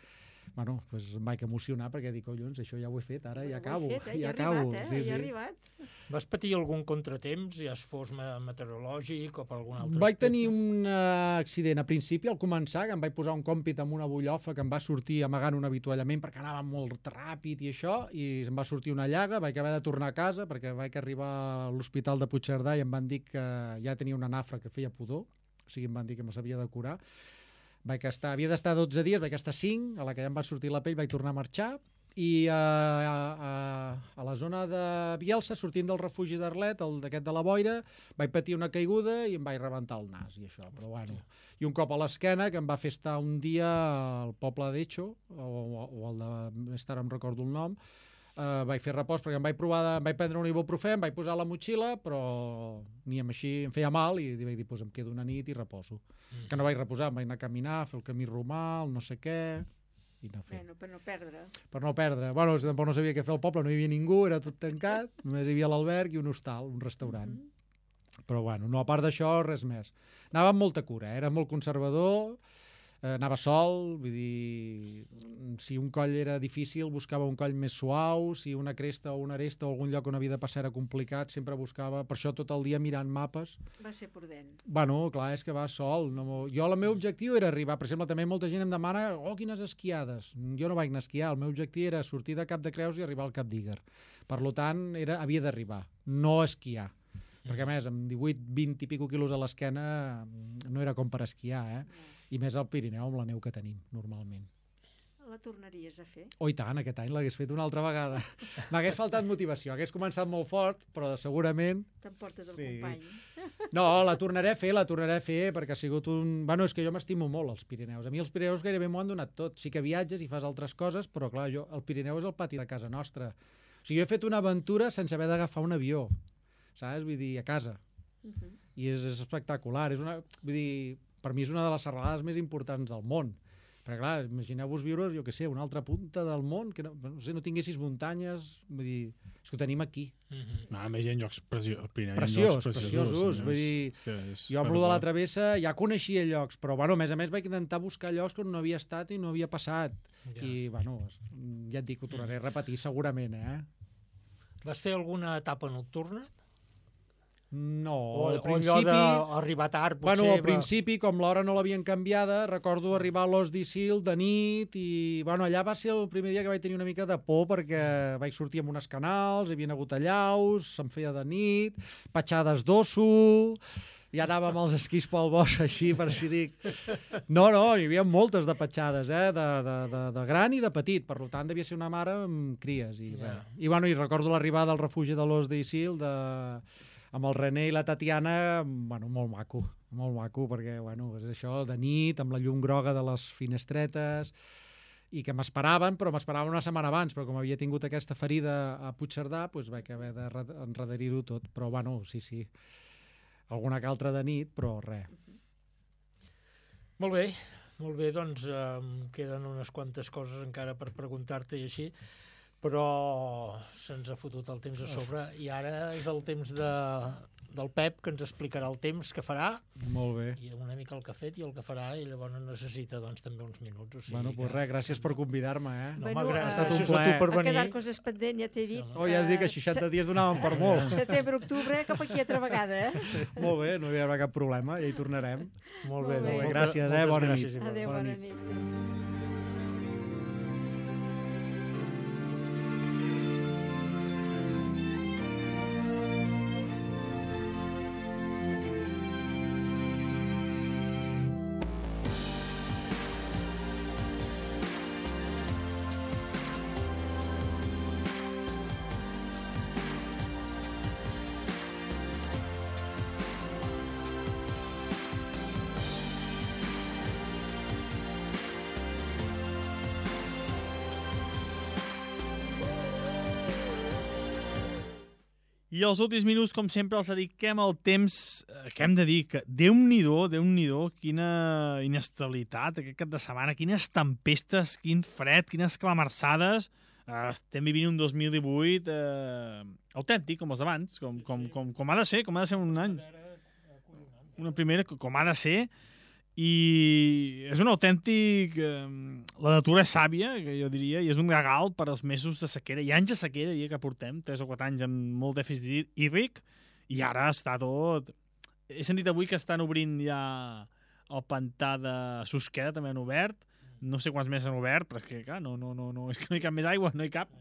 Bueno, doncs em vaig emocionar perquè dic, collons, això ja ho he fet, ara ja acabo. Ja ha arribat. Vas patir algun contratemps, ja fos meteorològic o per algun altre Vaig tenir un accident a principi, al començar, que em vaig posar un còmpit amb una bullofa que em va sortir amagant un avituallament perquè anava molt ràpid i això, i em va sortir una llaga, vaig haver de tornar a casa perquè vaig arribar a l'hospital de Puigcerdà i em van dir que ja tenia una nafra que feia pudor, o sigui, em van dir que me s'havia de curar. Havia d'estar 12 dies, vaig estar 5, a la que ja em va sortir la pell vaig tornar a marxar, i a la zona de Bielsa, sortint del refugi d'Arlet, d'aquest de la Boira, vaig patir una caiguda i em vaig rebentar el nas i això, però bueno. I un cop a l'esquena que em va fer estar un dia al poble d'Echo, o el de, més tard em recordo el nom, vaig fer repòs perquè em vaig prendre un ibuprofè, em vaig posar a la motxilla, però ni amb així em feia mal i vaig dir, doncs em quedo una nit i reposo. Que no vaig reposar, em vaig anar a caminar, fer el camí romà, el no sé què, i anar fent. Per no perdre. Per no perdre. Bueno, tampoc no sabia què fer al poble, no hi havia ningú, era tot tancat, només hi havia l'alberg i un hostal, un restaurant. Però bueno, no, a part d'això, res més. Anava amb molta cura, era molt conservador, anava sol, vull dir, si un coll era difícil buscava un coll més suau, si una cresta o una aresta o algun lloc on havia de passar era complicat, sempre buscava, per això tot el dia mirant mapes. Va ser prudent. Bueno, clar, és que vas sol. Jo el meu objectiu era arribar, per exemple, també molta gent em demana, quines esquiades. Jo no vaig anar a esquiar, el meu objectiu era sortir de Cap de Creus i arribar al Cap d'Íger. Per tant, havia d'arribar, no esquiar. Perquè a més, amb 18-20 i pico quilos a l'esquena no era com per esquiar, i més al Pirineu amb la neu que tenim normalment. La tornaries a fer? Oh, i tant, aquest any l'hagués fet una altra vegada. M'hagués faltat motivació, hagués començat molt fort, però segurament... T'emportes el company. No, la tornaré a fer, perquè ha sigut un... Bueno, és que jo m'estimo molt els Pirineus. A mi els Pirineus gairebé m'ho han donat tot. Sí que viatges i fas altres coses, però clar, el Pirineu és el pati de casa nostra. O sigui, jo he fet una aventura sense haver d'agafar un avió, saps? Vull dir, a casa. I és espectacular. Vull dir, per mi és una de les serralades més importants del món. Perquè, clar, imagineu-vos viure, jo què sé, una altra punta del món, que no tinguessis muntanyes, vull dir, és que ho tenim aquí. A més, hi ha llocs preciosos. Vull dir, jo amb lo de la travessa ja coneixia llocs, però, bueno, a més vaig intentar buscar llocs on no havia estat i no havia passat. I, bueno, ja et dic, ho tornaré a repetir segurament, Vas fer alguna etapa nocturna? No, al principi... O arribar tard, potser... Bueno, al principi, com l'hora no l'havien canviada, recordo arribar a l'Os d'Isil de nit i, bueno, allà va ser el primer dia que vaig tenir una mica de por perquè vaig sortir amb unes canals, hi havia hagut allaus, se'm feia de nit, petjades d'osso... I anàvem als esquís pel bosc així, per si dic... No, hi havia moltes de petjades, de gran i de petit. Per tant, devia ser una mare amb cries. I recordo l'arribada al refugi de l'Os d'Isil amb el René i la Tatiana, bueno, molt maco, perquè, bueno, és això, de nit, amb la llum groga de les finestretes, i que m'esperaven, però m'esperaven una setmana abans, però com havia tingut aquesta ferida a Puigcerdà, doncs vaig haver d'enrederir-ho tot. Però, bueno, sí, alguna que altra de nit, però res. Molt bé, doncs queden unes quantes coses encara per preguntar-te i així, però se'ns ha fotut el temps a sobre i ara és el temps del Pep, que ens explicarà el temps que farà. Molt bé. I una mica el que ha fet i el que farà, i llavors necessita també uns minuts. O sigui, bueno, doncs res, gràcies per convidar-me, No, ha estat un plaer. Ha quedat coses pendent, ja t'he dit. Ja has dit que 60 dies donaven per molt. Setembre, octubre, cap aquí altra vegada, Molt bé, no hi haurà cap problema, ja hi tornarem. Molt bé, gràcies, bona nit. Adéu, bona nit. I els últims minuts, com sempre, els dediquem al temps que hem de dir que Déu-n'hi-do, quina inestabilitat aquest cap de setmana, quines tempestes, quin fred, quines clamarçades. Estem vivint un 2018 autèntic, com els d'abans, com ha de ser un any. Una primera, com ha de ser. I és un autèntic... La natura és sàvia, que jo diria, i és un regal per als mesos de sequera, i anys de sequera, diria que portem, 3 o 4 anys amb molt dèficit hídric, i ara està tot... He sentit avui que estan obrint ja el pantà de Susqueda, també han obert, no sé quants més han obert, però és que, clar, no, és que no hi cap més aigua, no hi cap.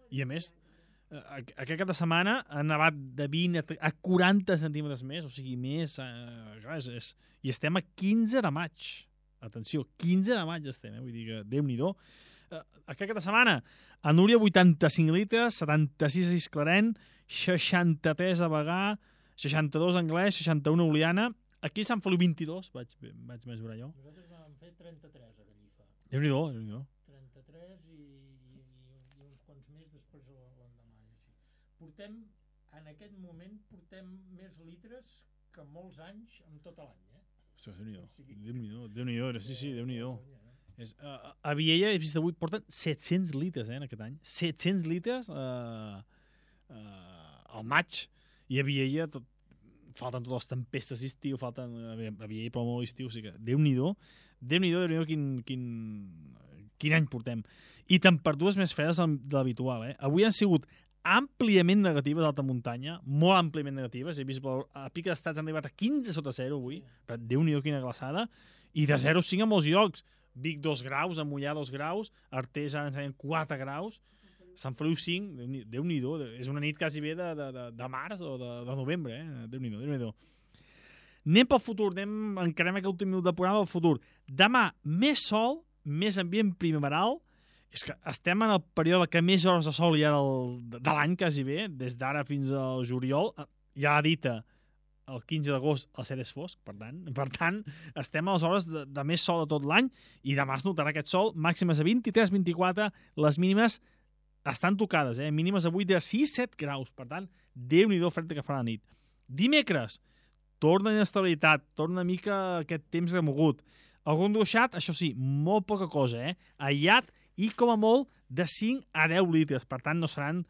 I a més... Aquest cap de setmana ha nevat de 20 a 40 centímetres més, o sigui, més... Clar, i estem a 15 de maig. Atenció, 15 de maig estem, vull dir que Déu-n'hi-do. Aquest cap de setmana, a Núria 85 litres, 76 a Gisclareny, 63 a Bagà, 62 a Anglès, 61 a Oliana. Aquí a Sant Feliu 22, vaig mesurar jo. Nosaltres vam fer 33 a Gallifa. Déu-n'hi-do. 33 i uns quants més després l'endemà. En aquest moment portem més litres que molts anys en tot l'any, Déu-n'hi-do, sí, Déu-n'hi-do. A Viella, he vist avui, porten 700 litres en aquest any. 700 litres al maig. I a Viella falten totes les tempestes d'estiu, a Viella plou molt l'estiu, o sigui que Déu-n'hi-do, quin any portem. I temperatures més fredes de l'habitual. Avui han sigut àmpliament negatives d'alta muntanya, molt àmpliament negatives. He vist a pic d'estats han arribat a 15 sota 0 avui, però Déu-n'hi-do quina glaçada, i de 0 a 5 a molts llocs. Vic 2 graus, a Mollà 2 graus, Artés ara ens deien 4 graus, Sant Feliu 5, Déu-n'hi-do, és una nit quasi bé de març o de novembre, Déu-n'hi-do. Anem pel futur, encarem aquest últim minut de programa pel futur. Demà, més sol, més ambient primaveral. És que estem en el període que més hores de sol hi ha de l'any, quasi bé, des d'ara fins al juliol. Ja ha dit el 15 d'agost el cel és fosc, per tant, estem a les hores de més sol de tot l'any, i demà es notarà aquest sol, màximes a 23-24, les mínimes estan tocades, mínimes avui de 6-7 graus, per tant, Déu-n'hi-do fred que farà la nit. Dimecres, torna inestabilitat, torna una mica aquest temps remogut. Algun ruixat, això sí, molt poca cosa, aïllat i com a molt de 5 a 10 litres. Per tant, no seran